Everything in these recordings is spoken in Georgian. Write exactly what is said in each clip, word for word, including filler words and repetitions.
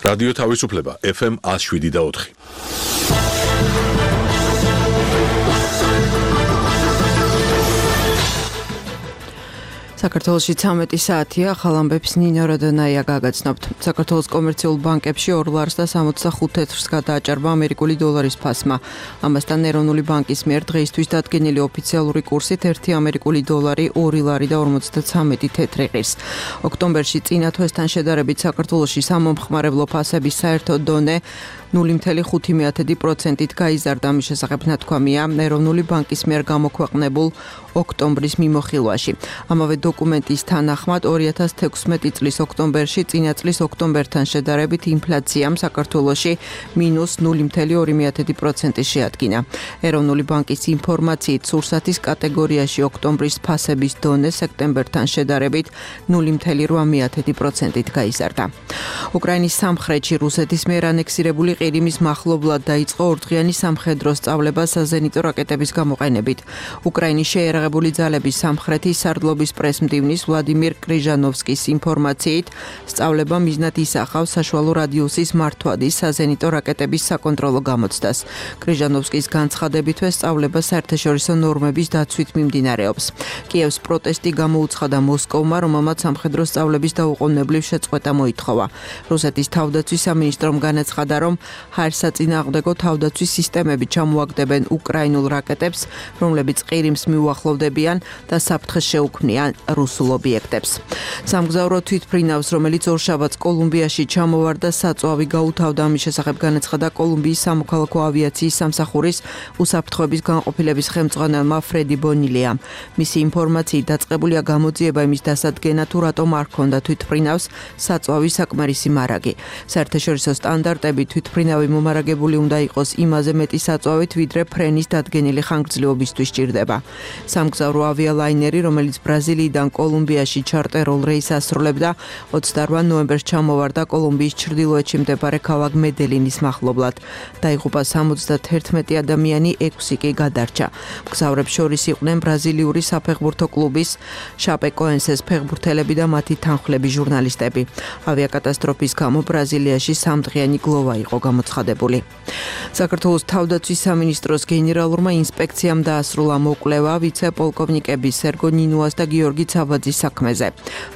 რადიო თავისუფლება ეფ ემ one oh seven და four. საქართველოში ცამეტი საათია, ახალ ამბებს ნინო როდონაია გაგაცნობთ. საქართველოს კომერციულ ბანკებში ორ ლარს და სამოცდახუთ თეთრს გადააჭარბა ამერიკული დოლარის ფასმა. ამასთან ეროვნული ბანკის მიერ დღეისთვის დადგენილი ოფიციალური კურსით ერთი ამერიკული დოლარი ორი ლარი და ორმოცდაცამეტი თეთრი ღირს. ოქტომბერში წინა თვესთან შედარებით საქართველოში სამომხმარებლო ფასების საერთო დონე ნული მცდე ხუთი პროცენტით გაიზარდა. ამის შესახებ ნათქვამია ეროვნული ბანკის მიერ გამოქვეყნებულ ოქტომბრის მიმოხილვაში. ამავე დოკუმენტის თანახმად ორი ათას თექვსმეტი წლის ოქტომბერში წინა წლის ოქტომბერთან შედარებით ინფლაციამ საქართველოში მინუს ნული მცდე ორი პროცენტი შეადგინა. ეროვნული ბანკის ინფორმაციით სურსათის კატეგორიაში ოქტომბრის ფასების დონე სექტემბერთან შედარებით ნული მცდე რვა პროცენტით გაიზარდა. უკრაინის სამხრეთში რუსეთის მიერ ანექსირებული ყირიმის მახლობლად დაიწყო ორდღიანი სამხედრო სწავლება საზენიტო რაკეტების გამოყენებით. უკრაინის შეიარაღებული ძალების სამხრეთის სარდლობის პრესმდივნის ვლადიმირ კრიჟანოვსკის ინფორმაციით სწავლება მიზნად ისახავს საშუალო რადიუსის მართვადის საზენიტო რაკეტების საკონტროლო გამოცდას. კრიჟანოვსკის განცხადებითვე სწავლება საერთაშორისო ნორმების დაცვით მიმდინარეობს. კიევს პროტესტი გამოუცხადა მოსკოვმა, რომელმაც სამხედრო სწავლების დაუყოვნებლივ შეწყვეტა მოითხოვა. რუსეთის თავდაცვის სამინისტრომ განაცხადა, რომ ჰაერსაწინააღმდეგო თავდაცვის სისტემები ჩამოაგდებენ უკრაინულ რაკეტებს, რომლებიც ყირიმს მიუახლოვდებიან და საფრთხეს შეუქმნიან რუსულ ობიექტებს. სამგზავრო თვითმფრინავს, რომელიც ორშაბათს კოლუმბიაში ჩამოვარდა, საწვავი გაუთავდა. ამის შესახებ განაცხადა კოლუმბიის სამოქალაქო ავიაციის სამსახურის უსაფრთხოების განყოფილების ხელმძღვანელმა ფრედი ბონილიამ. მისი ინფორმაციით დაწყებულია გამოძიება იმის დასადგენად, თუ რატომ არ ჰქონდა თვითმფრინავს საწვავის საკმარისი მარაგი. საერთაშორისო სტანდარტები თვითმფრინავი მომარაგებული უნდა იყოს იმაზე მეტი საწვავით, ვიდრე ფრენის დადგენილი ხანგრძლივობისთვის სჭირდება. სამგზავრო ავიალაინერი, რომელიც ბრაზილიიდან კოლუმბიაში ჩარტერულ რეისს ასრულებდა, ოცდარვა ნოემბერს ჩამოვარდა კოლუმბიის ჩრდილოეთში მდებარე ქალაქ მედელინის მახლობლად. დაიღუპა სამოცდაერთი ადამიანი, ექვსი კი გადარჩა. მგზავრებს შორის იყვნენ ბრაზილიური საფეხბურთო კლუბის შაპეკოენსეს ფეხბურთელები და მათი თანხმლები ჟურნალისტები. ავიაკატასტროფის გამო ბრაზილიაში სამდღიანი გლოვა იყო გამოცხადებული. საქართველოს თავდაცვის სამინისტროს გენერალურმა ინსპექციამ დაასრულა მოკვლევა ვიცე-პოლკოვნიკების სერგო ნინუას და გიორგი ცაბაძის საქმეზე.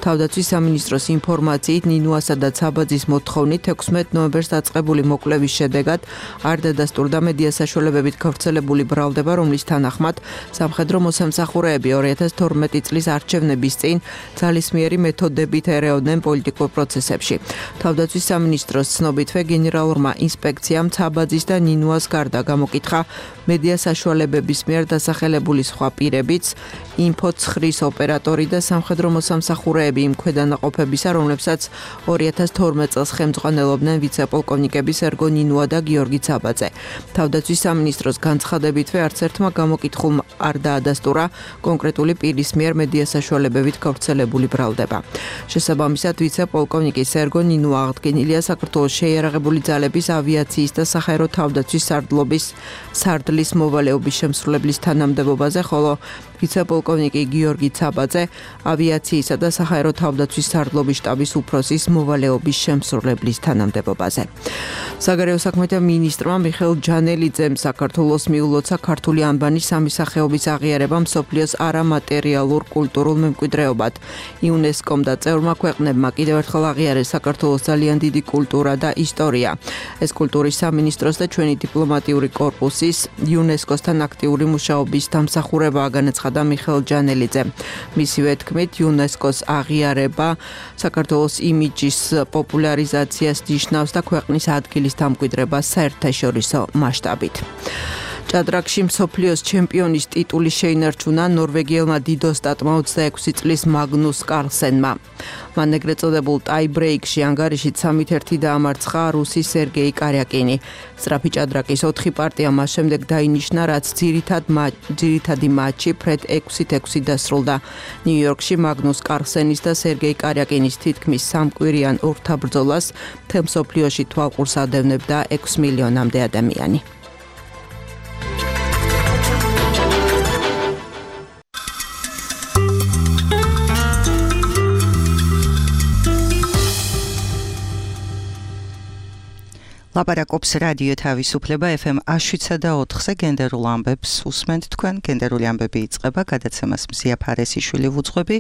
თავდაცვის სამინისტროს ინფორმაციით ნინუასა და ცაბაძის მოთხოვნით თექვსმეტ ნოემბერს დაწყებული მოკვლევის შედეგად არ დადასტურდა მედია საშუალებებით გავრცელებული ბრალდება, რომლის თანახმად სამხედრო მოსამსახურეები ორი ათას თორმეტი წლის არჩევნების წინ ძალისმიერი მეთოდებით ერეოდნენ პოლიტიკურ პროცესებში. თავდაცვის სამინისტროს ცნობითვე გენერალურმა ინსპექციამ ცაბაძის და ნინუას გარდა გამოკითხა მედია საშუალებების მიერ დასახელებული სხვა პირებიც, ინფოცხრის ოპერატორი და სამხედრო მოსამსახურეები იმ ქვედანაყოფებისა, რომლებსაც ორი ათას თორმეტ წელს ხელმძღვანელობდნენ ვიცე-პოლკოვნიკები სერგო ნინუა და გიორგი ცაბაძე. თავდაცვის სამინისტროს განცხადებითვე არც ერთმა გამოკითხულმა არ დაადასტურა კონკრეტული პირის მიერ მედია საშუალებებით გავრცელებული ბრალდება. შესაბამისად, ვიცე-პოლკოვნიკი სერგო ნინუა აღდგენილია საქართველოს შეიარაღებული ძალების ავიაციის და საჰაერო თავდაცვის სარდლობის სარდლის მოვალეობის შემსრულებლის თანამდებობაზე, ხოლო ვიცე-პოლკოვნიკი გიორგი ცაბაძე ავიაციისა და საჰაერო თავდაცვის სარდლობის შტაბის უფროსის მოვალეობის შემსრულებლის თანამდებობაზე. საგარეო საქმეთა მინისტრმა მიხეილ ჯანელიძემ საქართველოს მიულოცა ქართული ანბანის სამი სახეობის აღიარება მსოფლიოს არამატერიალურ კულტურულ მემკვიდრეობად. იუნესკომ და წევრმა ქვეყნებმა კიდევ ერთხელ აღიარეს საქართველოს ძალიან დიდი კულტურა და ისტორია. ეს კულტურის სამინისტროს და ჩვენი დიპლომატიური კორპუსის იუნესკოსთან აქტიური მუშაობის დამსახურებაა, განაცხადა მიხეილ ჯანელიძემ. მისივე თქმით, იუნესკოს აღიარება საქართველოს იმიჯის პოპულარიზაციას ნიშნავს და ქვეყნის ადგილის დამკვიდრებას საერთაშორისო მასშტაბით. ჭადრაკში მსოფლიოს ჩემპიონის ტიტული შეინარჩუნა ნორვეგიელმა დიდოსტატმა ოცდაექვსი წლის მაგნუს კარლსენმა. მან ეგრეთ წოდებულ ტაიბრეიკში ანგარიშით სამით ერთი დაამარცხა რუსი სერგეი კარიაკინი. სწრაფი ჭადრაკის ოთხი პარტია მას შემდეგ დაინიშნა, რაც ძირითად ძირითადი მატჩი ფრედ ექვსით ექვსი დასრულდა. ნიუ-იორკში მაგნუს კარლსენის და სერგეი კარიაკინის თითქმის სამკვირიან ორთაბრძოლას მთელ მსოფლიოში თვალყურს ადევნებდა ექვს მილიონამდე ადამიანი. ლაპარაკობს რადიო თავისუფლება ეფ ემ შვიდსა და ოთხზე გენდერულ ამბებს უსმენთ თქვენ. გენდერული ამბები იწყება, გადაცემას მზია ფარესიშვილი ვუძღვები,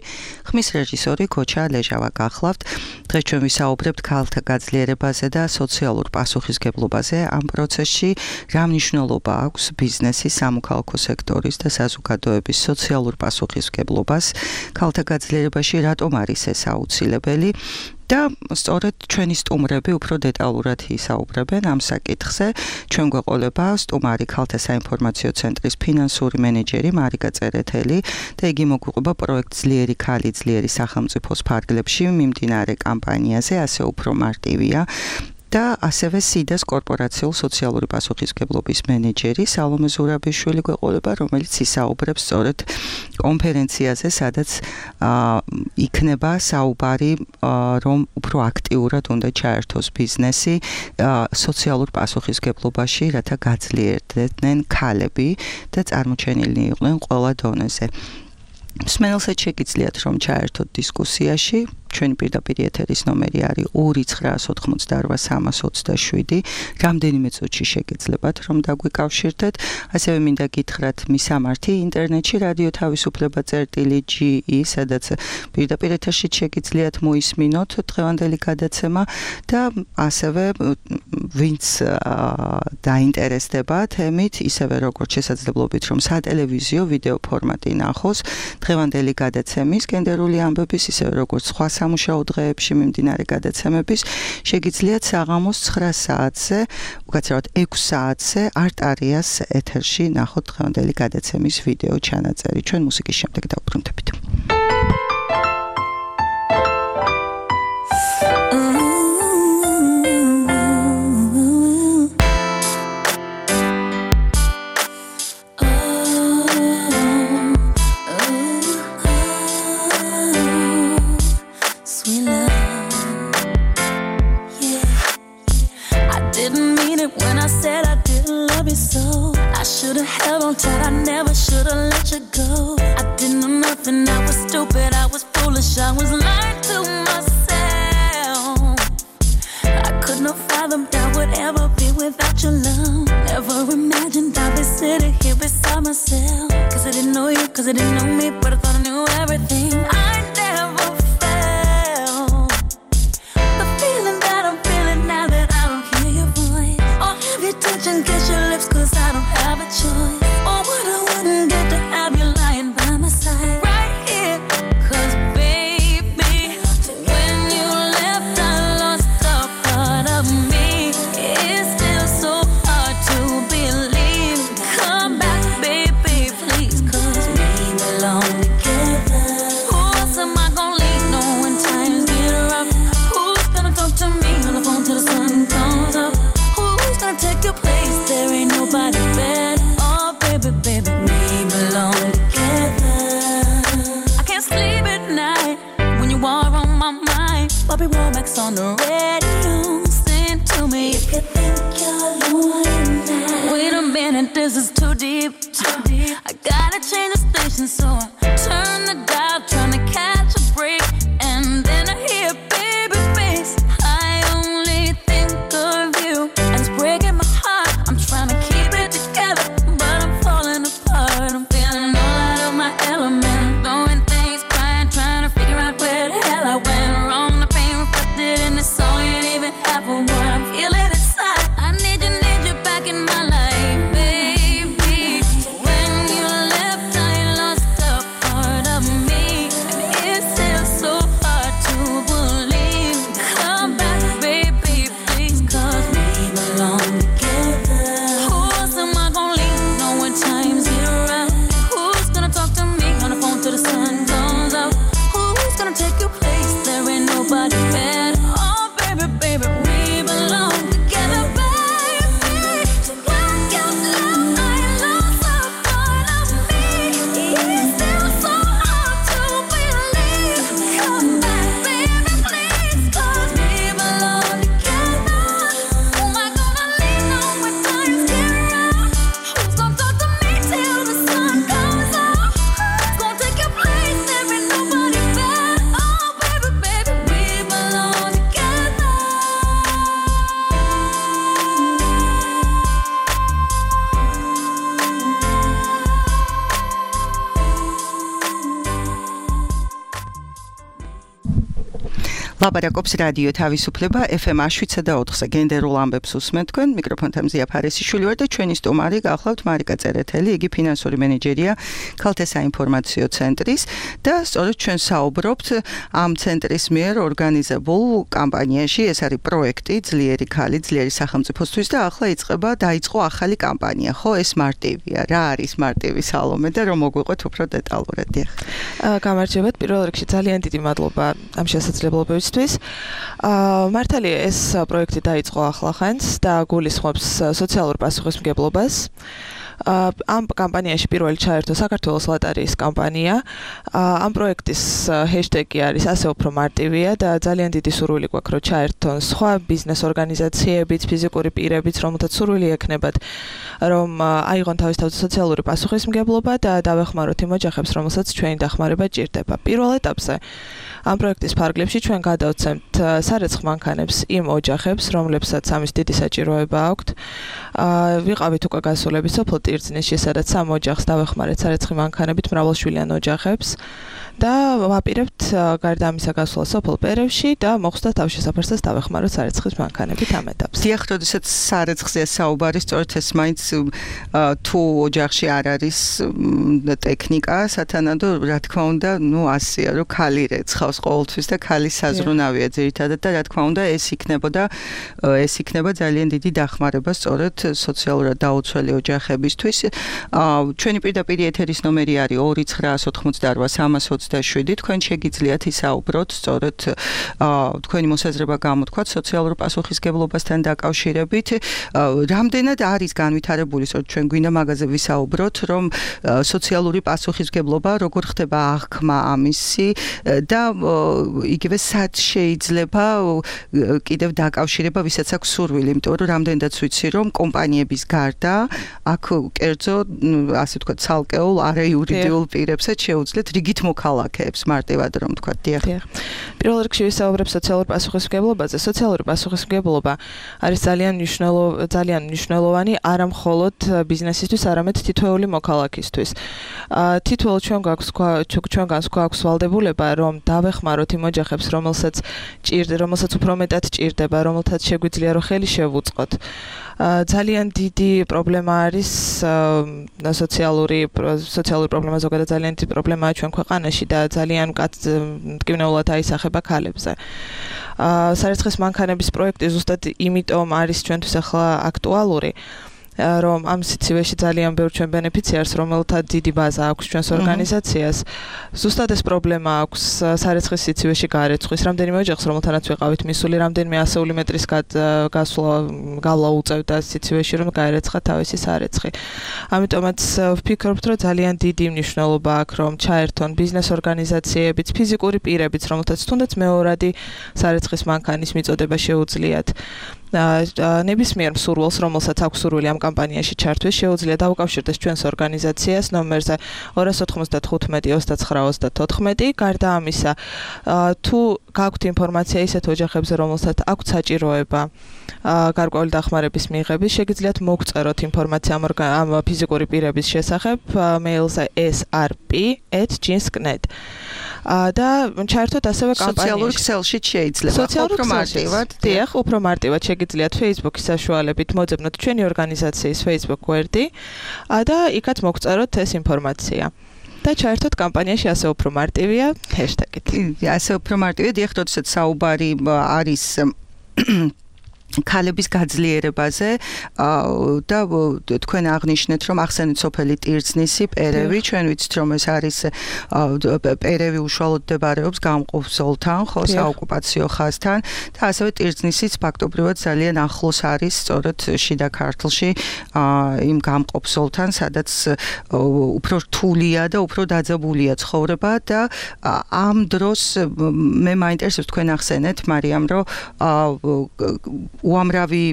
ხმის რეჟისორი ქოჩა ლეჟავა გახლავთ. დღეს ჩვენ ვისაუბრებთ ქალთა გაძლიერებაზე და სოციალურ პასუხისგებლობაზე. ამ პროცესში რა მნიშვნელობა აქვს ბიზნესის, სამოქალაქო სექტორის და საზოგადოების სოციალურ პასუხისგებლობას ქალთა გაძლიერებაში, რატომ არის ეს აუცილებელი? და სწორედ ჩვენი სტუმრები უფრო დეტალურად ისაუბრებენ ამ საკითხზე. ჩვენ გვეყოლება სტუმარი ქალთა საინფორმაციო ცენტრის ფინანსური მენეჯერი მარიკა წერეთელი და იგი მოგვიყვება პროექტ ძლიერი ქალი ძლიერი სახელმწიფოს ფარგლებში მიმდინარე კამპანიაზე, ასე უფრო მარტივია. და ასევე სიდას კორპორაციულ სოციალური პასუხისგებლობის მენეჯერი სალომე ზურაბიშვილი გვეყოლება, რომელიც ისაუბრებს სწორედ კონფერენციაზე, სადაც იქნება საუბარი, რომ უფრო აქტიურად უნდა ჩაერთოს ბიზნესი სოციალურ პასუხისგებლობაში, რათა გაძლიერდნენ ქალები და წარმოჩენილნი იყვნენ ყველა დონეზე. მსმენელსაც შეგიძლიათ რომ ჩაერთოთ დისკუსიაში. ჩვენი პირდაპირ ეთერის ნომერი არის ორი ცხრაას ოთხმოცდაორ სამას ოცდაშვიდი. რამდენიმე წუთში შეგეძლებათ რომ დაგვიკავშირდეთ. ასევე მინდა გითხრათ მისამართი ინტერნეტში რადიო თავისუფლება წერტილი ჯი ი, სადაც პირდაპირ ეთერში შეგიძლიათ მოისმინოთ დღევანდელი გადაცემა და ასევე ვინც დაინტერესდება თემით, ისევე როგორც შესაძლებლობით რომ სატელევიზიო ვიდეო ფორმატი ნახოს დღევანდელი გადაცემის გენდერული ამბების, ისევე როგორც სხვა სამუშაო დღეებში მიმდინარე გადაცემების, შეგიძლიათ საღამოს ცხრა საათზე, უკაცრავად ექვს საათზე არტარიას ეთერში ნახოთ დღევანდელი გადაცემის ვიდეო ჩანაწერი. ჩვენ მუსიკის შემდეგ დავბრუნდებით. Who's gonna talk to me on the phone? ლაპარაკობს რადიო თავისუფლება ეფ ემ შვიდსა და ოთხზე გენდერულ ამბებს უსმენთ თქვენ მიკროფონთან მზია ფარესიშვილი ვარ და ჩვენი სტუმარი გახლავთ მარიკა წერეთელი იგი ფინანსური მენეჯერია ქალთა საინფორმაციო ცენტრის და სწორედ ჩვენ საუბრობთ ამ ცენტრის მიერ ორგანიზებულ კამპანიაში ეს არის პროექტი ძლიერი ქალი ძლიერი სახელმწიფოსთვის და ახლა იწყება დაიწყო ახალი კამპანია ხო ეს მარტივია რა არის მარტივი სალომე და რომ მოგვიყვეთ უფრო დეტალურად დიახ გამარჯობათ პირველ რიგში ძალიან დიდი მადლობა ამ შესაძლებლობისთვის მართალია ეს პროექტი დაიწყო ახლახანს და გულისხმობს სოციალურ პასუხისმგებლობას ამ კამპანიაში პირველი ჩაერთო საქართველოს ლოტარიის კამპანია ამ პროექტის ჰეშტეგი არის ასე უფრო მარტივია და ძალიან დიდი სურვილი გვაქვს რომ ჩაერთონ სხვა ბიზნეს ორგანიზაციებიც ფიზიკური პირებიც რომელთაც სურვილი ექნებათ რომ აიღონ თავისთავად სოციალური პასუხისმგებლობა და დავეხმაროთ იმ ოჯახებს რომელსაც ჩვენი დახმარება ჭირდება პირველ ეტაპზე ამ პროექტის ფარგლებში ჩვენ გადავცემთ სარეცხ მანქანებს იმ ოჯახებს, რომლებსაც ამის დიდი საჭიროება აქვთ. ვიყავით უკვე გასულები სოფელ ტირცნისში, სადაც სამ ოჯახს დავეხმარეთ სარეცხი მანქანებით მრავალშვილიან ოჯახებს და ვაპირებთ გარდა ამისა გასვლა სოფელ პერევში და მოხსნა თავშესაფარსაც დავეხმაროთ სარეცხის მანქანებით ამ ეტაპზე. დიახ, როდესაც სარეცხზეა საუბარი, სწორედ ეს მაინც თუ ოჯახში არ არის ტექნიკა, სათანადო რა თქმა უნდა, ნუ ასია, რომ ქალი რეცხავს ყოველთვის და ქალის საზრუნავია ძირითადად და რა თქმა უნდა ეს იქნებოდა ეს იქნება ძალიან დიდი დახმარება სწორედ სოციალურად დაუცველი ოჯახებისთვის. ჩვენი პირდაპირ ეთერის ნომერი არის ორი ცხრაას ოთხმოცდაორ სამას ოცდაშვიდი. თქვენ შეგიძლიათ ისაუბროთ სწორედ თქვენი მოსაზრება გამოთქვათ სოციალურ პასუხისმგებლობასთან დაკავშირებით. რამდენად არის განვითარებული სწორედ ჩვენ გვინდა მაგაზე ვისაუბროთ, რომ სოციალური პასუხისმგებლობა როგორ ხდება აღქმა ამისი და იგივე სად შეიძლება კიდევ დაკავშირება ვისაც აქვს სურვილი, იმიტომ რომ რამდენადაც ვიცი რომ კომპანიების გარდა აქ კერძო ასე ვთქვათ ცალკეულ არაიურიდიულ პირებსაც შეუძლიათ რიგით მოქალაქეებს მარტივად რომ ვთქვათ დიახ. პირველ რიგში ვისაუბრებ სოციალურ პასუხისმგებლობაზე. სოციალური პასუხისმგებლობა არის ძალიან მნიშვნელოვანი ძალიან მნიშვნელოვანი არა მხოლოდ ბიზნესისთვის, არამედ თითოეული მოქალაქისთვის. თითოეულ ჩვენ გვაქვს ჩვენგანს გვაქვს ვალდებულება რომ დავეხმაროთ იმ ოჯახებს, რომელსაც ჭირდება, რომელსაც უფრო მეტად ჭირდება, რომელთაც შეგვიძლია რომ ხელი შევუწყოთ. ძალიან დიდი პრობლემა არის სოციალური სოციალური პრობლემა ზოგადად ძალიან დიდი პრობლემაა ჩვენ ქვეყანაში და ძალიან მტკივნეულად აისახება ქალებზე. სარეცხის მანქანების პროექტი ზუსტად იმიტომ არის ჩვენთვის ახლა აქტუალური რომ ამ სიცივეში ძალიან ბევრ ჩვენ ბენეფიციარს, რომელთა დიდი ბაზა აქვს ჩვენს ორგანიზაციას. ზუსტად ეს პრობლემა აქვს სარეცხის სიცივეში გარეცხვის. რამდენიმე ოჯახს, რომელთანაც ვიყავით მისული, რამდენიმე ასეული მეტრის გასვლა გავლა უწევდა სიცივეში, რომ გაერეცხა თავისი სარეცხი. ამიტომაც ვფიქრობთ, რომ ძალიან დიდი მნიშვნელობა აქვს, რომ ჩაერთონ ბიზნეს ორგანიზაციებიც, ფიზიკური პირებიც, რომელთაც თუნდაც მეორადი სარეცხის მანქანის მიწოდება შეუძლიათ. ნებისმიერ მსურველს, რომელსაც აქვს სურვილი ამ კამპანიაში ჩართვეს, შეუძლია დაუკავშირდეს ჩვენს ორგანიზაციას ნომერზე ორი ოცდახუთმეტი ოცდაცხრა ოცდათოთხმეტი. გარდა ამისა, თუ გაქვთ ინფორმაცია ისეთ ოჯახებზე, რომელსაც აქვთ საჭიროება გარკვეული დახმარების მიღების, შეგიძლიათ მოგწეროთ ინფორმაცია ამ ფიზიკური პირების შესახებ მეილზე ეს არ პი ეტ ჯინს კვდ ნეტ. და ჩაერთოთ ასევე კამპანიაში. სოციალურ ქსელში შეიძლება უფრო მარტივად. დიახ, უფრო მარტივად შეგიძლიათ Facebook-ის საშუალებით მოძებნოთ ჩვენი ორგანიზაციის Facebook გვერდი და იქაც მოგწეროთ ეს ინფორმაცია. და ჩაერთოთ კამპანიაში ასე უფრო მარტივია ჰეშტეგით. ასე უფრო მარტივია, დიახ, როდესაც საუბარი არის ქალების გაძლიერებაზე და თქვენ აღნიშნეთ რომ ახსენეთ სოფელი ტირცნისი, პერევი, ჩვენ ვიცით რომ ეს არის პერევი უშუალოდ მდებარეობს გამყოფ ზოლთან, ხო, საოკუპაციო ხაზთან და ასევე ტირცნისიც ფაქტობრივად ძალიან ახლოს არის სწორედ შიდა ქართლში იმ გამყოფ ზოლთან, სადაც უფრო რთულია და უფრო დაძაბულია ცხოვრება და ამ დროს მე მაინტერესებს თქვენ ახსენეთ მარიამ რომ უამრავი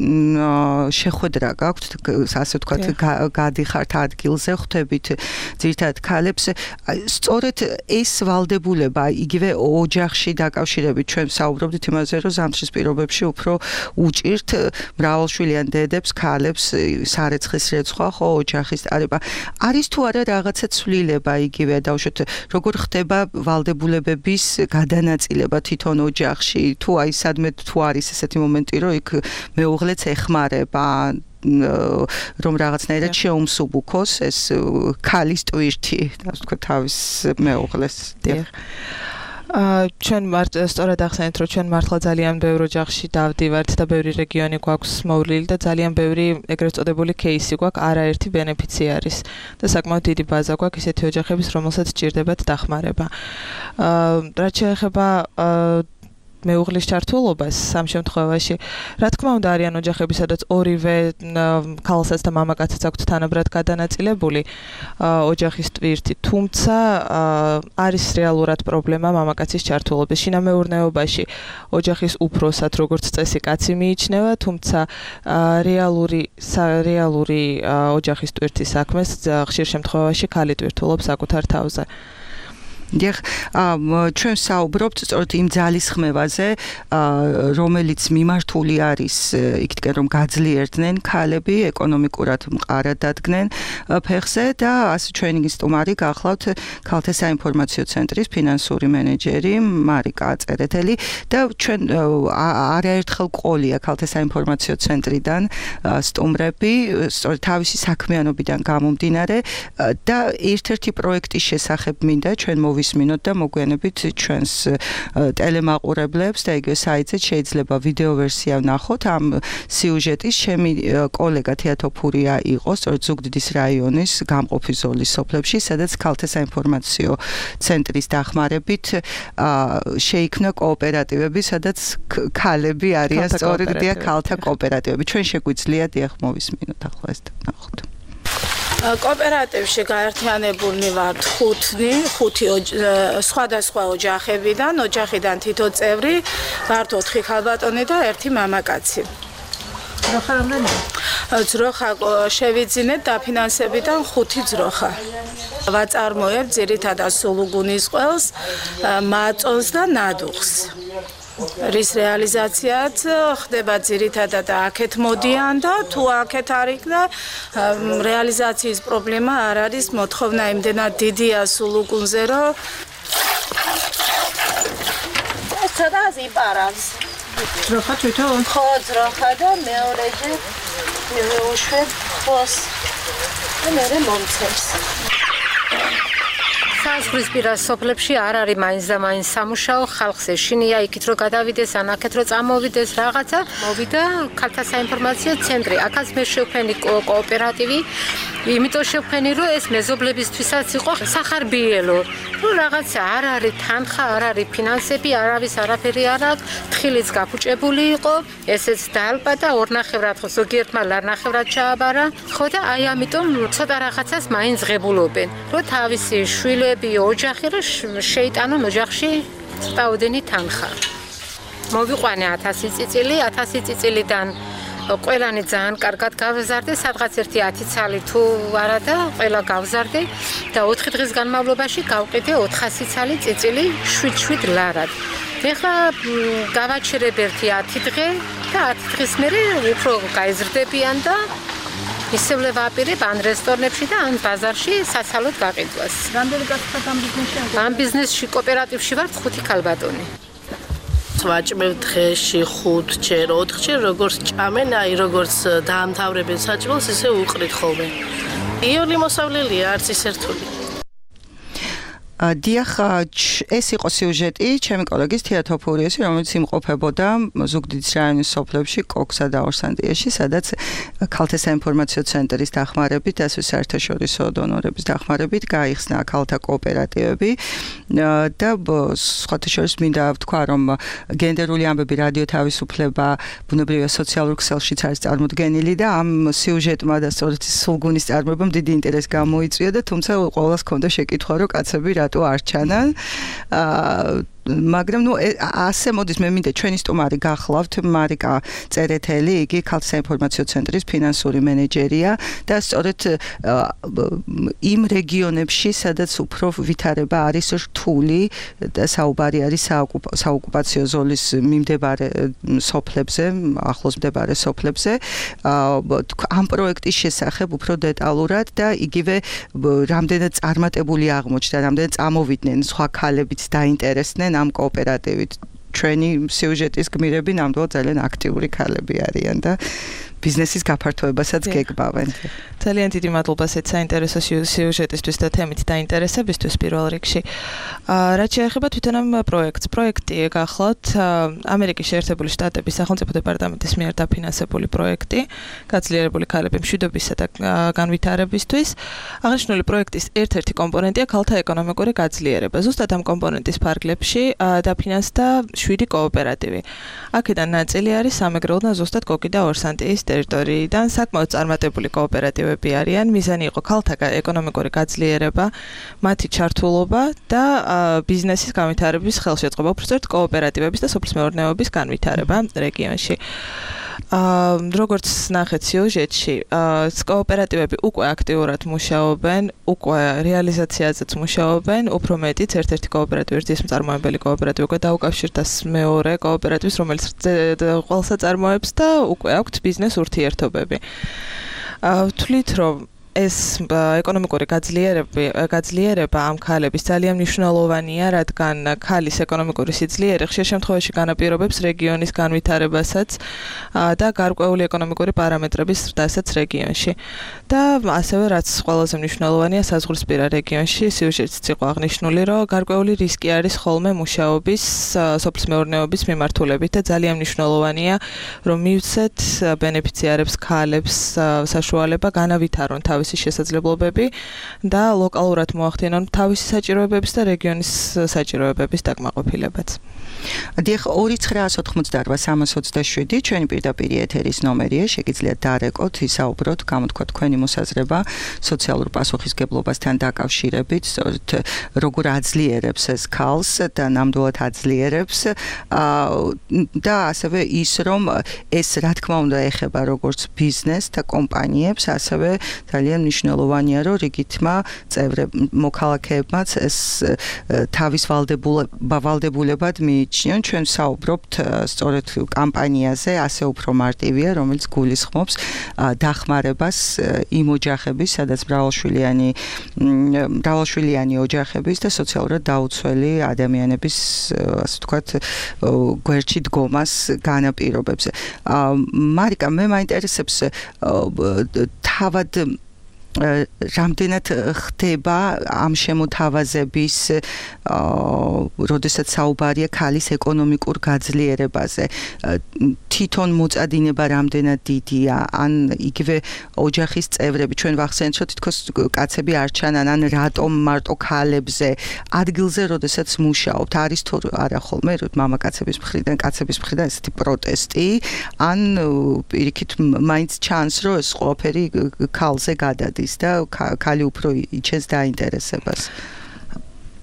შეხვედრა გაქვთ, ასე ვთქვათ, გადიხართ ადგილზე, ხვდებით ძირითადად ქალებს. სწორედ ეს ვალდებულება, იგივე ოჯახში დაკავშირებით ჩვენ საუბრობდით იმაზე, რომ ზამთრის პირობებში უფრო უჭირთ მრავალშვილიან დედებს, ქალებს სარეცხის რეცხვა, ხო, ოჯახის ტარება. არის თუ არა რაღაცა ცვლილება იგივე დავუშვათ, როგორ ხდება ვალდებულებების გადანაწილება თვითონ ოჯახში, თუ აი სადმე თუ არის ესეთი მომენტი, რომ იქ მეუღლეც ეხმარება, რომ რაღაცნაირად შეუმსუბუქოს ეს ქალის ტვირთი, ასე ვთქვათ, თავის მეუღლეს. აა ჩვენ მართ სწორად ახსენეთ, რომ ჩვენ მართლა ძალიან ბევრ ოჯახში დავდივართ და ბევრი რეგიონი გვაქვს მოვლილი და ძალიან ბევრი ეგრეთ წოდებული кейსი გვაქვს, არაერთი ბენეფიციარის და საკმაოდ დიდი ბაზა გვაქვს ისეთი ოჯახების, რომელსაც სჭირდებათ დახმარება. აა რაც შეეხება აა მეუღლის ჩართულობას სამ შემთხვევაში, რა თქმა უნდა არიან ოჯახები, სადაც ორივე ქალსაც და მამაკაცსაც აქვთ თანაბრად გადანაწილებული ოჯახის ტვირთი, თუმცა არის რეალურად პრობლემა მამაკაცის ჩართულობის. შინამეურნეობაში ოჯახის უფროსად როგორც წესი კაცი მიიჩნევა, თუმცა რეალური რეალური ოჯახის ტვირთის საქმეს ხშირ შემთხვევაში ქალი ტვირთულობს საკუთარ თავზე. დიახ, ჩვენ საუბრობთ სწორედ იმ ძალისხმევაზე, რომელიც მიმართული არის იქითკენ რომ გაძლიერდნენ ქალები, ეკონომიკურად მყარად დადგნენ ფეხზე და ასე ჩვენი სტუმარი გახლავთ ქალთა საინფორმაციო ცენტრის ფინანსური მენეჯერი მარიკა წერეთელი და ჩვენ არაერთხელ ყოლია ქალთა საინფორმაციო ცენტრიდან სტუმრები, სწორედ თავისი საქმიანობიდან გამომდინარე და ერთ-ერთი პროექტის შესახებ მინდა ჩვენ მოვისმინოთ და მოგვიანებით ჩვენს ტელემაყურებლებს და იგივე საიტზე შეიძლება ვიდეო ვერსია ვნახოთ ამ სიუჟეტის. ჩემი კოლეგა თეატოფურია იყო სწორედ ზუგდიდის რაიონის გამყოფი ზოლის სოფლებში, სადაც ქალთა საინფორმაციო ცენტრის დახმარებით შეიქმნა კოოპერატივები, სადაც ქალები არიან სწორედ დიახ ქალთა კოოპერატივები. ჩვენ შეგვიძლია დიახ მოვისმინოთ ახლა ეს და ვნახოთ. კოოპერატივში გაერთიანებულნი ვართ ხუთი, ხუთი სხვადასხვა ოჯახებიდან, ოჯახიდან თითო წევრი, ვართ ოთხი ქალბატონი და ერთი მამაკაცი. ძროხა რამდენია? ძროხა შევიძინეთ დაფინანსებიდან ხუთი ძროხა. ვაწარმოებ ძირითადად სულუგუნის ყველს, მაწონს და ნადუხს. რის რეალიზაციაც ხდება ძირითადად აქეთ მოდიან და თუ აქეთ არ იქნა რეალიზაციის პრობლემა არ არის, მოთხოვნა იმდენად დიდია სულუგუნზე, რომ ეს ცოტა იპარავს. ძროხა თვითონ? ხო, ძროხა და მეორეჯერ მივეუშვებ ხოს და მერე მომცემს. საზღვრისპირა სოფლებში არ არის მაინც და მაინც სამუშაო, ხალხს ეშინია იქით რომ გადავიდეს, ან აქეთ რომ წამოვიდეს რაღაცა. მოვიდა ქალთა საინფორმაციო ცენტრი. აქაც მე შევქმნი კოოპერატივი, იმიტომ შევქმნი რომ ეს მეზობლებისთვისაც იყო სახარბიელო. რომ რაღაცა არ არის თანხა, არ არის ფინანსები, არავის არაფერი არ აქვს, თხილიც გაფუჭებული იყო, ესეც დაალპა და ორნახევრად ხო ზოგიერთმა ლარნახევრად ჩააბარა. ხო და აი ამიტომ ცოტა რაღაცას მაინც ღებულობენ. რომ თავისი შვილები, ოჯახი რომ შეიტანონ ოჯახში წაუდენი თანხა. მოვიყვანე ათასი წიწილი, ათასი წიწილიდან ყველანი ძალიან კარგად გავზარდე, სადღაც ერთი ათი ცალი თუ არა და ყველა გავზარდე და ოთხი დღის განმავლობაში გავყიდე ოთხასი ცალი წიწილი შვიდ-შვიდ ლარად. ეხლა გავაჩერებ ერთი ათი დღე და ათი დღის მერე უფრო გაიზრდებიან და ისევ ვაპირებ ან რესტორნებში და ან ბაზარში საცალოდ გაყიდვას. რამდენი კაცთან ამ ბიზნესში? ამ ბიზნესში კოოპერატივში ვართ ხუთი ქალბატონი. ვაჭმევ დღეში ხუთჯერ, ოთხჯერ, როგორც ჭამენ, აი როგორც დაამთავრებენ საჭმელს, ისე უყრით ხოლმე. იული მოსავლელია, არც ის ერთული. დიახ, ეს იყო სიუჟეტი ჩემი კოლეგის თეატოფურიესი, რომელიც იმყოფებოდა ზუგდიდის რაიონის სოფლებში, კოქსა და ორსანდიაში, სადაც ქალთა საინფორმაციო ცენტრის დახმარებით, ასე საერთაშორისო დონორების დახმარებით გაიხსნა ქალთა კოოპერატივები და სხვათა შორის მინდა ვთქვა, რომ გენდერული ამბები რადიო თავისუფლება ბუნებრივია სოციალურ ქსელშიც არის წარმოდგენილი და ამ სიუჟეტმა და სწორედ სულგუნის წარმოებამ დიდი ინტერესი გამოიწვია და თუმცა ყოველას ჰქონდა შეკითხვა, რომ კაცები რატო არ ჩანან. აა მაგრამ ნუ ასე მოდის მე მინდა ჩვენი სტუმარი გახლავთ მარიკა წერეთელი, იგი ქალთა საინფორმაციო ცენტრის ფინანსური მენეჯერია და სწორედ იმ რეგიონებში, სადაც უფრო ვითარება არის რთული და საუბარი არის საოკუპაციო ზოლის მიმდებარე სოფლებზე, ახლოს მდებარე სოფლებზე, ამ პროექტის შესახებ უფრო დეტალურად და იგივე რამდენად წარმატებული აღმოჩნდა, რამდენად წამოვიდნენ სხვა ქალებიც დაინტერესდნენ ამ კოოპერატივით. ჩვენი სიუჟეტის გმირები ნამდვილად ძალიან აქტიური ქალები არიან და ბიზნესის გაფართოებასაც გეგმავენ. ძალიან დიდი მადლობა ესეთ საინტერესო სიუჟეტისთვის და თემით დაინტერესებისთვის პირველ რიგში. რაც შეეხება თვითონ ამ პროექტს, პროექტი გახლავთ ამერიკის შეერთებული შტატების სახელმწიფო დეპარტამენტის მიერ დაფინანსებული პროექტი, გაძლიერებული ქალების მშვიდობისა და განვითარებისთვის. აღნიშნული პროექტის ერთ-ერთი კომპონენტია ქალთა ეკონომიკური გაძლიერება. ზუსტად ამ კომპონენტის ფარგლებში დაფინანსდა შვიდი კოოპერატივი. აქედან ნაწილი არის სამეგრელო და ზუსტად კოკი და ორსანტიის ტერიტორიიდან საკმაოდ წარმატებული კოოპერატივები არიან. მიზანი იყო ქალთა ეკონომიკური გაძლიერება, მათი ჩართულობა და ბიზნესის განვითარების ხელშეწყობა, უბრალოდ კოოპერატივების და სოფლის მეურნეობის განვითარება რეგიონში. როგორც ნახეთ სიუჟეტში, კოოპერატივები უკვე აქტიურად მუშაობენ, უკვე რეალიზაციაზეც მუშაობენ, უფრო მეტიც ერთ-ერთი კოოპერატივი, ერთის მწარმოებელი კოოპერატივი უკვე დაუკავშირდა მეორე კოოპერატივს, რომელიც ყველსა წარმოებს და უკვე აქვთ ბიზნეს ურთიერთობები. ვთვლით, რომ ეს ეკონომიკური გაძლიერება გაძლიერება ამ ქალების ძალიან მნიშვნელოვანია, რადგან ქალის ეკონომიკური სიძლიერე ხშირ შემთხვევაში განაპირობებს რეგიონის განვითარებასაც და გარკვეული ეკონომიკური პარამეტრების ზრდასაც რეგიონში. და ასევე რაც ყველაზე მნიშვნელოვანია საზღვრისპირა რეგიონში, სიუჟეტიც იყო აღნიშნული, რომ გარკვეული რისკი არის ხოლმე მუშაობის, სოფლის მეურნეობის მიმართულებით და ძალიან მნიშვნელოვანია, რომ მივცეთ ბენეფიციარებს, ქალებს საშუალება განავითარონ თავისი შესაძლებლობები და ლოკალურად მოახდინონ თავისი საჭიროებების და რეგიონის საჭიროებების დაკმაყოფილებაც. დიახ, ორი ცხრაას ოთხმოცდაარბა სამას ოცდაშვიდი ჩვენი პირდაპირ ეთერის ნომერია, შეგიძლიათ დაარეკოთ, ისაუბროთ, გამოთქვათ თქვენი მოსაზრება სოციალურ პასუხისგებლობასთან დაკავშირებით, სწორედ როგორ აძლიერებს ეს ქალს და ნამდვილად აძლიერებს და ასევე ის, რომ ეს რა თქმა უნდა ეხება როგორც ბიზნეს და კომპანიებს, ასევე ძალიან მნიშვნელოვანია, რომ რიგითმა წევრებ მოქალაქეებმაც ეს თავის ვალდებულებად მიიჩნიონ. ჩვენ საუბრობთ სწორედ კამპანიაზე, ასე უფრო მარტივია, რომელიც გულისხმობს დახმარებას იმ ოჯახების, სადაც მრავალშვილიანი მრავალშვილიანი ოჯახების და სოციალურად დაუცველი ადამიანების, ასე ვთქვათ, გვერდში დგომას განაპირობებს. მარიკა, მე მაინტერესებს თავად რამდენად ხდება ამ შემოთავაზების, როდესაც საუბარია ქალის ეკონომიკურ გაძლიერებაზე. თვითონ მოწადინება რამდენად დიდია, ან იგივე ოჯახის წევრები, ჩვენ ვახსენეთ, რომ თითქოს კაცები არ ჩანან, ან რატომ მარტო ქალებზე ადგილზე, როდესაც მუშაობთ, არის თუ არა ხოლმე მამაკაცების მხრიდან, კაცების მხრიდან ესეთი პროტესტი, ან პირიქით მაინც ჩანს, რომ ეს ყველაფერი ქალზე გადადის და ქალი უფრო იჩენს დაინტერესებას.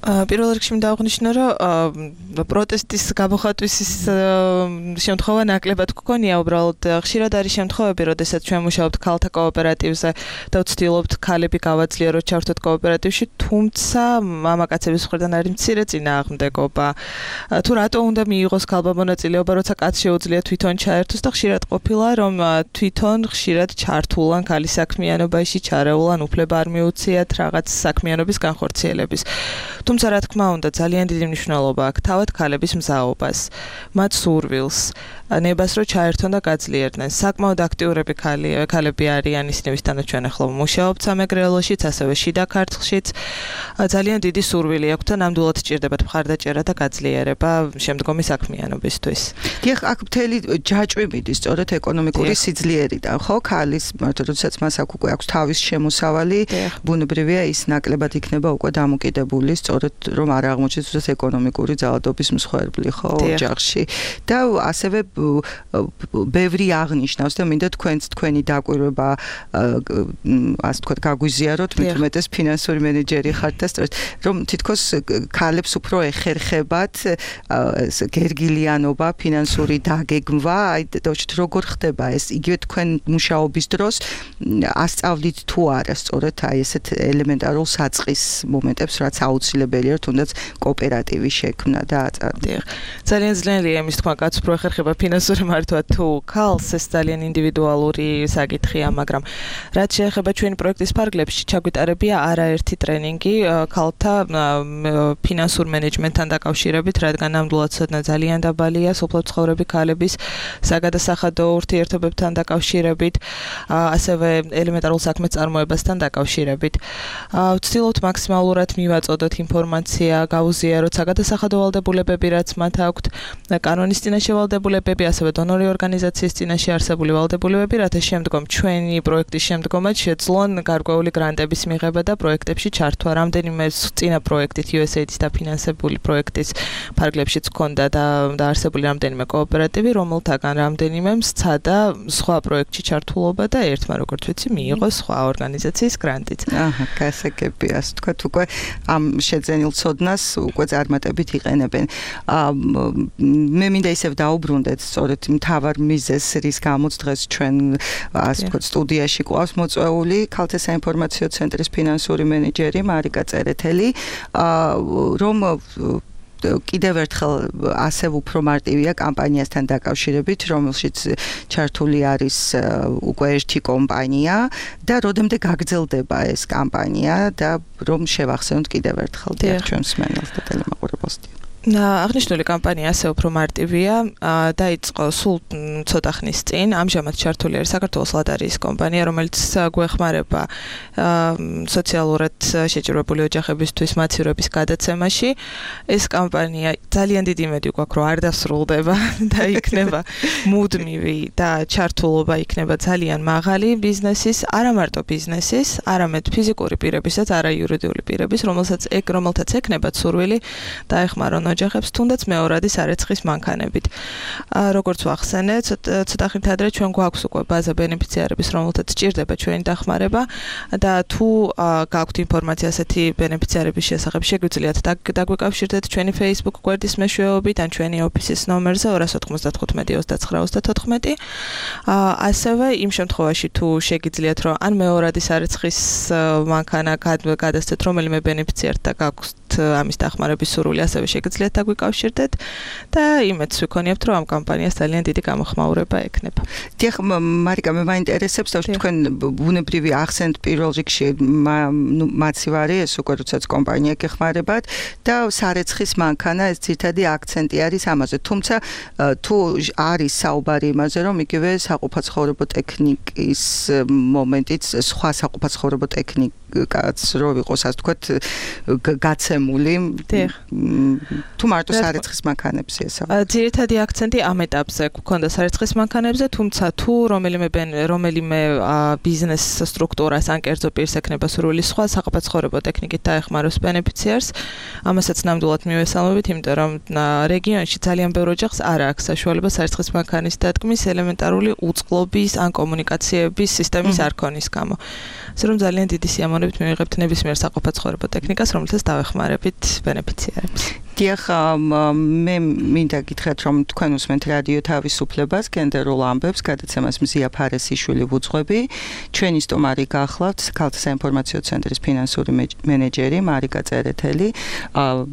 პირველ რიგში მინდა აღნიშნო, რომ პროტესტის გამოხატვის შემთხვევა ნაკლებად გქონია, უბრალოდ ხშირად არის შემთხვევები, როდესაც ჩვენ მუშაობთ ქალთა კოოპერატივზე და ვცდილობთ ქალები გავაძლიეროთ, ჩავთოთ კოოპერატივში, თუმცა მამაკაცების მხრიდან არის მცირე წინააღმდეგობა. თუ რატო უნდა მიიღოს ქალბა მონაწილეობა, როცა კაცს შეუძლია თვითონ ჩაერთოს და ხშირად ყოფილა, რომ თვითონ ხშირად ჩართულან ქალის საქმიანობაში, ჩარეულან უფლება არ მიუციათ რაღაც საქმიანობის განხორციელების. თუმცა რა თქმა უნდა ძალიან დიდი მნიშვნელობა აქვს თავად ქალების მზაობას, მათ სურვილს, ნებას რო ჩაერთონ და გაძლიერდნენ. საკმაოდ აქტიურები ქალები არიან, ისინი ვისთანაც ჩვენ ახლა მუშაობთ სამეგრელოშიც, ასევე შიდა ქართლშიც. ძალიან დიდი სურვილი აქვთ და ნამდვილად სჭირდებათ მხარდაჭერა და გაძლიერება შემდგომი საქმიანობისთვის. დიახ, აქ მთელი ჯაჭვი მიდის სწორედ ეკონომიკური სიძლიერიდან, ხო? ქალის, როდესაც მას აქ უკვე აქვს თავის შემოსავალი, ბუნებრივია ის ნაკლებად იქნება უკვე დამოკიდებული სწორედ რომ არ აღმოჩნდეს ეკონომიკური ძალადობის მსხვერპლი, ხო, ოჯახში. და ასევე ბევრი აღნიშნავს და მინდა თქვენც თქვენი დაკვირვება ასე ვთქვათ გაგვიზიაროთ, მით უმეტეს ფინანსური მენეჯერი ხართ და სწორედ რომ თითქოს ქალებს უფრო ეხერხებათ გერგილიანობა, ფინანსური დაგეგმვა, აი დავჭით როგორ ხდება ეს იგივე თქვენ მუშაობის დროს ასწავლით თუ არა სწორედ აი ესეთ ელემენტარულ საწყის მომენტებს, რაც აუცილებელია თუნდაც კოოპერატივის შექმნა და აწარმოება. ძალიან ძლიერია იმის თქვა კაც უფრო ეხერხება ფინანსური მართვა თუ ქალს, ეს ძალიან ინდივიდუალური საკითხია, მაგრამ რაც შეეხება ჩვენი პროექტის ფარგლებში, ჩაგვიტარებია არაერთი ტრენინგი ქალთა ფინანსურ მენეჯმენტთან დაკავშირებით, რადგან ნამდვილად ცოდნა ძალიან დაბალია სოფლად მცხოვრები ქალების საგადასახადო ურთიერთობებთან დაკავშირებით, ასევე ელემენტარულ საქმეს წარმოებასთან დაკავშირებით. ვცდილობთ მაქსიმალურად მივაწოდოთ ინფორმაცია, გავუზიაროთ საგადასახადო ვალდებულებები, რაც მათ აქვთ, კანონის წინაშე ვალდებულებები, ასევე დონორი ორგანიზაციის წინაშე არსებული ვალდებულებები, რათა შემდგომ ჩვენი პროექტის შემდგომაც შეძლონ გარკვეული გრანტების მიღება და პროექტებში ჩართვა. რამდენიმე წინა პროექტით იუ ეს ეი-ის დაფინანსებული პროექტის ფარგლებშიც ჰქონდა და დაარსებული რამდენიმე კოოპერატივი, რომელთაგან რამდენიმემ სცადა სხვა პროექტში ჩართულობა და ერთმა, როგორც ვიცი, მიიღო სხვა ორგანიზაციის გრანტიც. აჰა, გასაგებია, ასე ვთქვათ, უკვე ამ შეძენილ ცოდნას უკვე წარმატებით იყენებენ. მე მინდა ისევ დაუბრუნდეთ სწორედ მთავარ მიზეზს, რის გამოც დღეს ჩვენ ასე ვთქვათ სტუდიაში ყავს მოწვეული ქალთა საინფორმაციო ცენტრის ფინანსური მენეჯერი მარიკა წერეთელი, რომ კიდევ ერთხელ ასევე უფრო მარტივია კამპანიასთან დაკავშირებით, რომელშიც ჩართული არის უკვე ერთი კომპანია და როდემდე გაგრძელდება ეს კამპანია და რომ შევახსენოთ კიდევ ერთხელ ჩვენს მსმენელს და ტელემაყურებელს. აღნიშნული კამპანია ასე უფრო მარტივია, დაიწყო სულ ცოტა ხნის წინ, ამჟამად ჩართული არის საქართველოს ლატარიის კომპანია, რომელიც გვეხმარება სოციალურად შეჭირვებული ოჯახებისთვის მაცივრების გადაცემაში. ეს კამპანია ძალიან დიდი იმედი გვაქვს, რომ არ დასრულდება და იქნება მუდმივი და ჩართულობა იქნება ძალიან მაღალი ბიზნესის, არა მარტო ბიზნესის, არამედ ფიზიკური პირებისაც, არა იურიდიული პირების, რომელსაც რომელთაც ექნებათ სურვილი დაეხმარონ ოჯახებს თუნდაც მეორადი სარეცხის მანქანებით. როგორც ვახსენე, ცოტა ხნით ადრე ჩვენ გვაქვს უკვე ბაზა ბენეფიციარების, რომელთაც სჭირდება ჩვენი დახმარება და თუ გაქვთ ინფორმაცია ასეთი ბენეფიციარების შესახებ, შეგვიძლიათ დაგვიკავშირდეთ ჩვენი Facebook გვერდის მეშვეობით ან ჩვენი ოფისის ნომერზე ორი ოთხმოცდათხუთმეტი ოცდაცხრა ოცდათოთხმეტი. ასევე იმ შემთხვევაში თუ შეგიძლიათ რომ ან მეორადი სარეცხის მანქანა გადასცეთ რომელიმე ბენეფიციარს და გაქვთ ამის დახმარების სურვილი, ასევე შეგიძლიათ დაგვიკავშირდეთ და იმედს ვიქონიებთ, რომ ამ კამპანიას ძალიან დიდი გამოხმაურება ექნება. დიახ, მარიკა, მე მაინტერესებს, რომ თქვენ ბუნებრივი ახსენთ პირველ რიგში მაცივარი, ეს უკვე როდესაც კომპანია გეხმარებათ და სარეცხის მანქანა, ეს ძირითადი აქცენტი არის ამაზე. თუმცა თუ არის საუბარი იმაზე, რომ იგივე საყოფაცხოვრებო ტექნიკის მომენტიც სხვა საყოფაცხოვრებო ტექნიკაც რო იყოს, ასე ვთქვათ, გაცემული. თუ მარტო სარეცხის მანქანებზე ესაა. ძირითადი აქცენტი ამ ეტაპზე გვქონდა სარეცხის მანქანებზე, თუმცა თუ რომელიმე რომელიმე ბიზნეს სტრუქტურას ან კერძო პირს ექნება სურვილი სხვა საყოფაცხოვრებო ტექნიკით დაეხმაროს ბენეფიციარს, ამასაც ნამდვილად მივესალმებით, იმიტომ რომ რეგიონში ძალიან ბევრ ოჯახს არ აქვს საშუალება სარეცხის მანქანის დადგმის ელემენტარული უწყლობის ან კომუნიკაციების სისტემის არ ქონის გამო. ასე რომ ძალიან დიდი სიამოვნებით მივიღებთ ნებისმიერ საყოფაცხოვრებო ტექნიკას, რომელსაც დავეხმარებით ბენეფიციარებს. დიახ, მე მინდა გითხრათ, რომ თქვენ უსმენთ რადიო თავისუფლებას, გენდერულ ამბებს, გადაცემას მზია ფარესიშვილი ვუძღვები. ჩვენი სტუმარი გახლავთ ქალთა საინფორმაციო ცენტრის ფინანსური მენეჯერი მარიკა წერეთელი.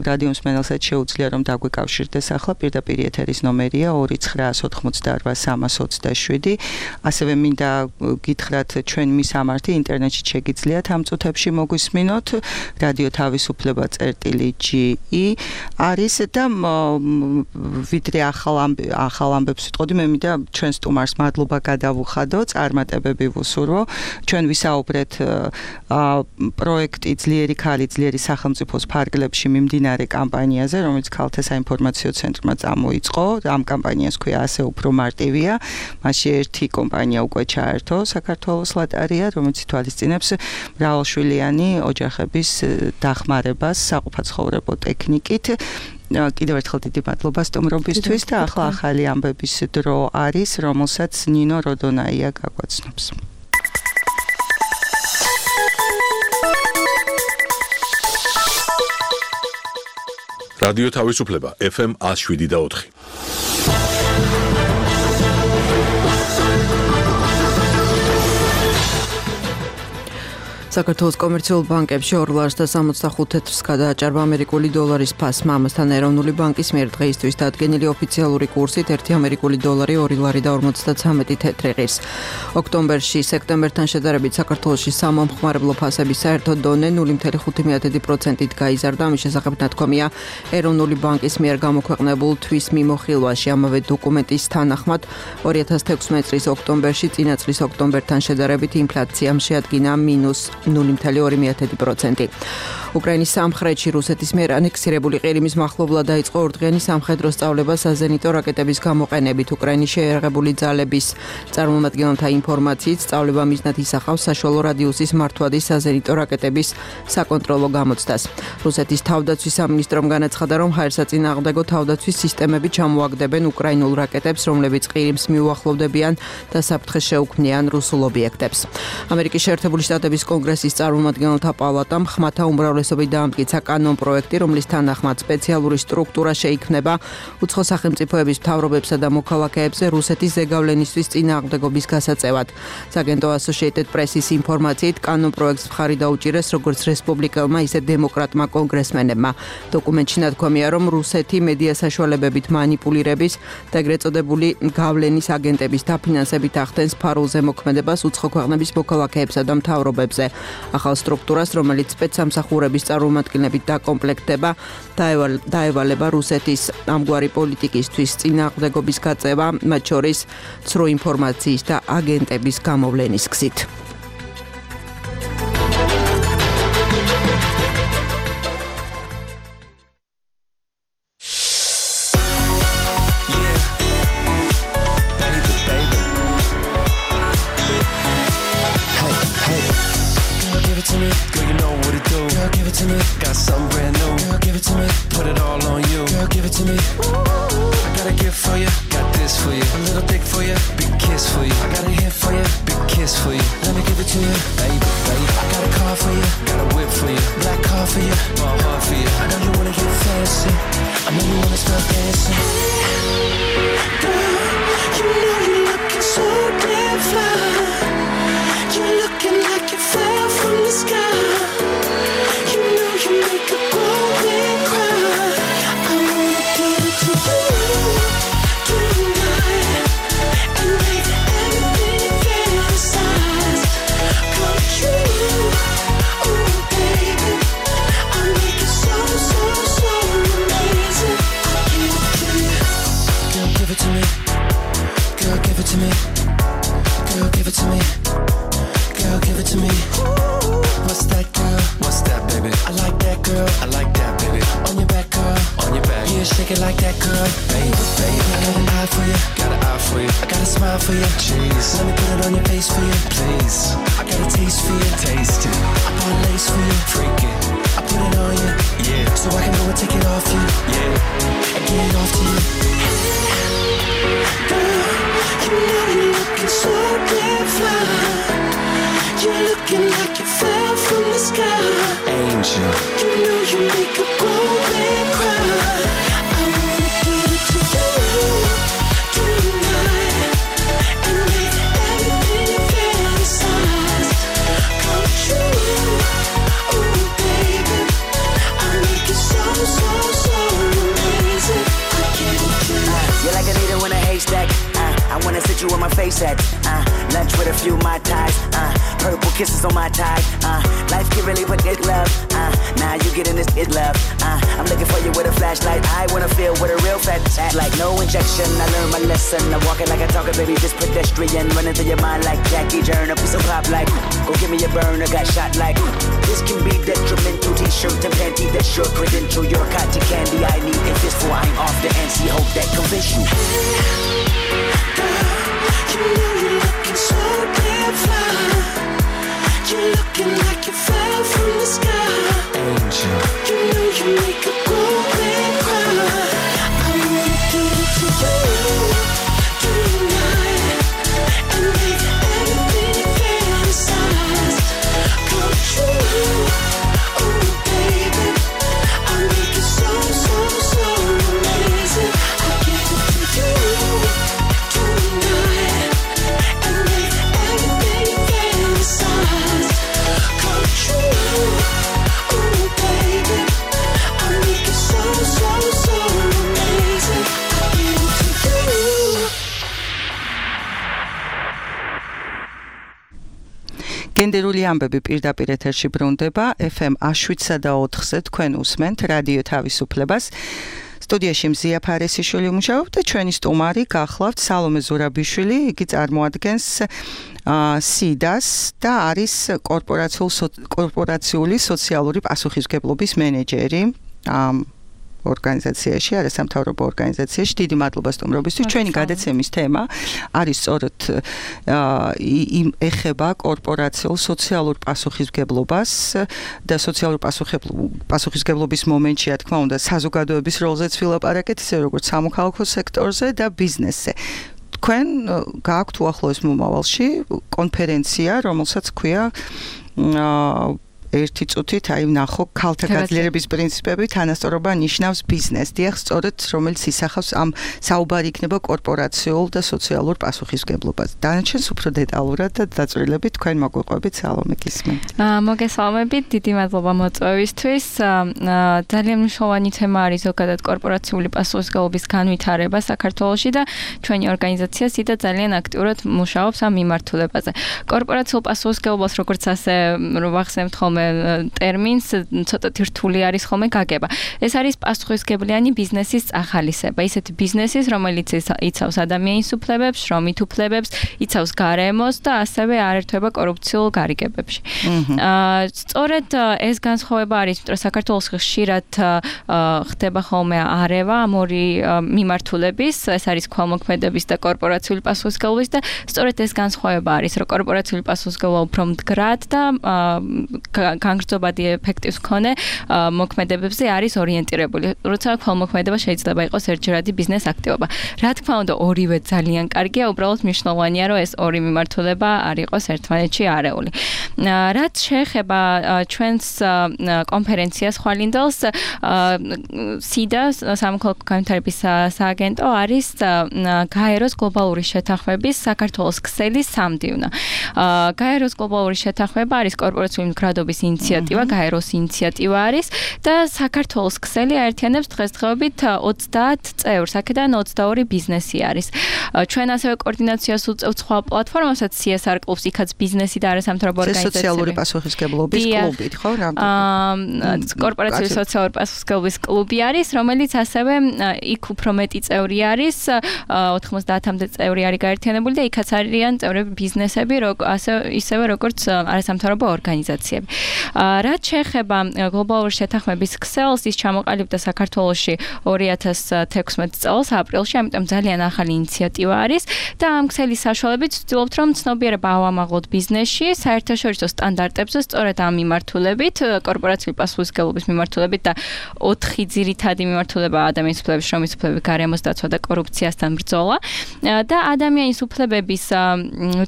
რადიო მსმენელსაც შეუძლია რომ დაგვიკავშირდეს ახლა პირდაპირ ეთერის ნომერია ორი ცხრაას ოთხმოცდაორ სამას ოცდაშვიდი. ასევე მინდა გითხრათ, ჩვენ მისამართი ინტერნეტში შეგიძლიათ ამ წუთებში მოგვისმინოთ რადიო თავისუფლება წერტილი ჯი ი არის და ვიდრე ახალ ახალ ამბებს ვიტყოდი, მე მინდა ჩვენ სტუმარს მადლობა გადავუხადო, წარმატებები ვუსურვო. ჩვენ ვისაუბრეთ პროექტი ძლიერი ქალი, ძლიერი სახელმწიფოს ფარგლებში მიმდინარე კამპანიაზე, რომელიც ქალთა საინფორმაციო ცენტრმა წამოიწყო. ამ კამპანიას ქვია ასე უფრო მარტივია. მასში ერთი კომპანია უკვე ჩაერთო, საქართველოს ლატარია, რომელიც ითვალისწინებს მრავალშვილიანი ოჯახების დახმარებას საყოფაცხოვრებო ტექნიკით. კიდევ ერთხელ დიდი მადლობა სტუმრობისთვის და ახლა ახალი ამბების დრო არის, რომელსაც ნინო როდონაია გაგვაცნობს. რადიო თავისუფლება ეფ ემ one oh seven და four. საქართველოს კომერციულ ბანკებში ორ ლარს და სამოცდახუთ თეთრს გადააჭარბა ამერიკული დოლარის ფასმა. ამასთან ეროვნული ბანკის მიერ დღეისთვის დადგენილი ოფიციალური კურსით ერთი ამერიკული დოლარი ორი ლარი და ორმოცდაცამეტი თეთრი ღირს. ოქტომბერში სექტემბერთან შედარებით საქართველოში სამომხმარებლო ფასების საერთო დონე nul komma ხუთი პროცენტით გაიზარდა. ამის შესახებ ნათქვამია ეროვნული ბანკის მიერ გამოქვეყნებულ თვის მიმოხილვაში. ამავე დოკუმენტის თანახმად ორი ათას თექვსმეტი წლის ოქტომბერში წინა წლის ოქტომბერთან შედარებით ინფლაციამ შეადგინა მინუს nul komma ორი პროცენტი. უკრაინის სამხრეთში რუსეთის მიერ ანექსირებული ყირიმის მახლობლად დაიწყო ორდღიანი სამხედრო სწავლება საზენიტო რაკეტების გამოყენებით. უკრაინის შეიარაღებული ძალების წარმომადგენელთა ინფორმაციით სწავლება მიზნად ისახავს საშუალო რადიუსის მართვადი საზენიტო რაკეტების საკონტროლო გამოცდას. რუსეთის თავდაცვის სამინისტრომ განაცხადა, რომ ჰაერსაწინააღმდეგო თავდაცვის სისტემები ჩამოაგდებენ უკრაინულ რაკეტებს, რომლებიც ყირიმს მიუახლოვდებიან და საფრთხეს შეუქმნიან რუსულ ობიექტებს. ამერიკის შეერთებული შტატების კონგრესის წარმომადგენელთა პალატამ ხმათა უმრავლესობით დაამტკიცა კანონ პროექტი, რომლის თანახმად სპეციალური სტრუქტურა შეიქმნება უცხო სახელმწიფოების მთავრობებსა და მოქალაქეებზე რუსეთის ზეგავლენისთვის წინააღმდეგობის გასაწევად. საგენდო Associated Press-ის ინფორმაციით კანონ პროექტს მხარი დაუჭირეს როგორც რესპუბლიკელმა, ისე დემოკრატმა კონგრესმენებმა. დოკუმენტში ნათქვამია, რომ რუსეთი მედია საშუალებებით მანიპულირების და ეგრეთ წოდებული გავლენის აგენტების დაფინანსებით ახდენს ფარულზე მოქმედებას უცხო ქვეყნების მოქალაქეებსა და მთავრობებზე. ახალ სტრუქტურას, რომელიც სპეცსამსახურების წარმომადგენლებით დაკომპლექტდება, დაევალება რუსეთის ამგვარი პოლიტიკისთვის წინააღმდეგობის გაწევა, მათ შორის ცრუ ინფორმაციის და აგენტების გამოვლენის გზით. Angel, you know you make a grown man cry. გენდერული ამბები პირდაპირ ეთერში ბრუნდება ეფ ემ შვიდსა და ოთხზე თქვენ უსმენთ რადიო თავისუფლებას. სტუდიაში მზია ფარესიშვილი მუშაობს და ჩვენი სტუმარი გახლავთ სალომე ზურაბიშვილი, იგი წარმოადგენს სიდას და არის კორპორაციული სოციალური პასუხისმგებლობის მენეჯერი ორგანიზაციაში, არასამთავრობო ორგანიზაციაში. დიდი მადლობა სტუმრობისთვის. ჩვენი გადაცემის თემა არის სწორედ ეხება კორპორაციულ სოციალურ პასუხისმგებლობას და სოციალურ პასუხისმგებლობის მომენტში, რა თქმა უნდა, საზოგადოების როლზეც ვილაპარაკეთ, ისე როგორც სამოქალაქო სექტორზე და ბიზნესზე. თქვენ გააქვთ უახლოეს მომავალში კონფერენცია, რომელსაც ქვია ერთი წუთით, აი ვნახო ქალთა გაძლიერების პრინციპები, თანასწორობა ნიშნავს ბიზნეს. დიახ, სწორედ რომელიც ისახავს ამ საუბარი იქნება კორპორაციულ და სოციალურ პასუხისმგებლობას. დანარჩენს უფრო დეტალურად და დაწვრილებით თქვენ მოგვიყვებით სალომე გისმენთ. მოგესალმებით, დიდი მადლობა მოწვევისთვის. ძალიან მნიშვნელოვანი თემა არის ზოგადად კორპორაციული პასუხისმგებლობის განვითარება საქართველოში და ჩვენი ორგანიზაცია სიდა ძალიან აქტიურად მუშაობს ამ მიმართულებაზე. კორპორაციულ პასუხისმგებლობას როგორც ასე ვახსენებთ ხოლმე ტერმინს ცოტათი რთული არის ხოლმე გაგება. ეს არის პასუხისმგებლიანი ბიზნესის წახალისება. ისეთი ბიზნესის, რომელიც იცავს ადამიანის უფლებებს, შრომით უფლებებს, იცავს გარემოს და ასევე არ ერთვება კორუფციულ გარიგებებში. სწორედ ეს განსხვავება არის, იმიტომ რომ საქართველოს ხშირად ხდება ხოლმე არევა ამ ორი მიმართულების, ეს არის ქველმოქმედების და კორპორაციული პასუხისმგებლობის და სწორედ ეს განსხვავება არის, რომ კორპორაციული პასუხისმგებლობა უფრო მდგრად და განგრძობადი ეფექტის მქონე მოქმედებებზე არის ორიენტირებული. როცა ქველმოქმედება შეიძლება იყოს ერთჯერადი ბიზნეს აქტივობა. რა თქმა უნდა, ორივე ძალიან კარგია, უბრალოდ მნიშვნელოვანია, რომ ეს ორი მიმართულება არ იყოს ერთმანეთში არეული. რაც შეეხება ჩვენს კონფერენციას ხვალინდელს, სიდა სამოქალაქო განვითარების სააგენტო არის გაეროს გლობალური შეთანხმების საქართველოს ქსელის სამდივნო. გაეროს გლობალური შეთანხმება არის კორპორაციული მდგრადობის ინიციატივა, გაეროს ინიციატივა არის და საქართველოს ქსელი აერთიანებს დღესდღეობით ოცდაათ წევრს, აქედან ოცდაორი ბიზნესი არის. ჩვენ ასევე კოორდინაციას უწევთ სხვა პლატფორმასაც სი ეს არ კლუბს, იქაც ბიზნესი და არასამთავრობო ორგანიზაციები. სოციალური პასუხისმგებლობის კლუბი, ხო? კორპორაციული სოციალური პასუხისმგებლობის კლუბი არის, რომელიც ასევე იქ უფრო მეტი წევრი არის, ოთხმოცდაათამდე წევრი არის გაერთიანებული და იქაც არიან წევრები ბიზნესები, ასე ისევე როგორც არასამთავრობო ორგანიზაციები. რაც შეეხება გლობალური შეთანხმების ქსელს, ის ჩამოყალიბდა საქართველოში ორი ათას თექვსმეტ წელს აპრილში, ამიტომ ძალიან ახალი ინიციატივა არის და ამ ქსელის საშუალებით ვცდილობთ, რომ ცნობიერება ავამაღლოთ ბიზნესში, საერთაშორისო სტანდარტებზე, სწორედ ამ მიმართულებით, კორპორაციული პასუხისმგებლობის მიმართულებით და ოთხი ძირითადი მიმართულება ადამიანის უფლებების, შრომის უფლებების, გარემოს დაცვა და კორუფციასთან ბრძოლა და ადამიანის უფლებების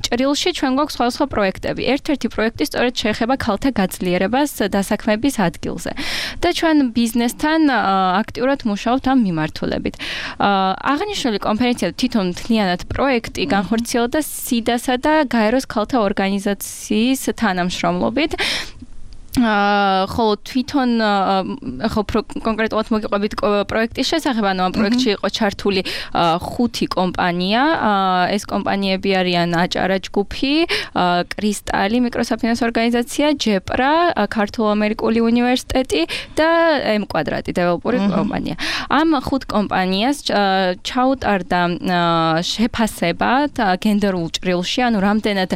ჭრილში ჩვენ გვაქვს სხვადასხვა პროექტები. ერთ-ერთი პროექტი სწორედ შეეხება ქალთა გაძლიერებას დასაქმების ადგილზე. და ჩვენ ბიზნესთან აქტიურად მუშაობთ ამ მიმართულებით. აღნიშნული კონფერენცია თვითონ მთლიანად პროექტი განხორციელდა სიდასა და გაეროს ქალთა ორგანიზაციის თანამშრომლობით. ხოლო თვითონ ხო კონკრეტულად მოგიყვებით პროექტის შესახებ, ანუ ამ პროექტში იყო ჩართული ხუთი კომპანია. ეს კომპანიები არიან აჭარა ჯგუფი, კრისტალი მიკროსაფინანსო ორგანიზაცია, ჯეპრა, ქართულ-ამერიკული უნივერსიტეტი და ემ კვადრატი დეველოპერი კომპანია. ამ ხუთ კომპანიას ჩაუტარდა შეფასება გენდერულ ჭრილში, ანუ რამდენად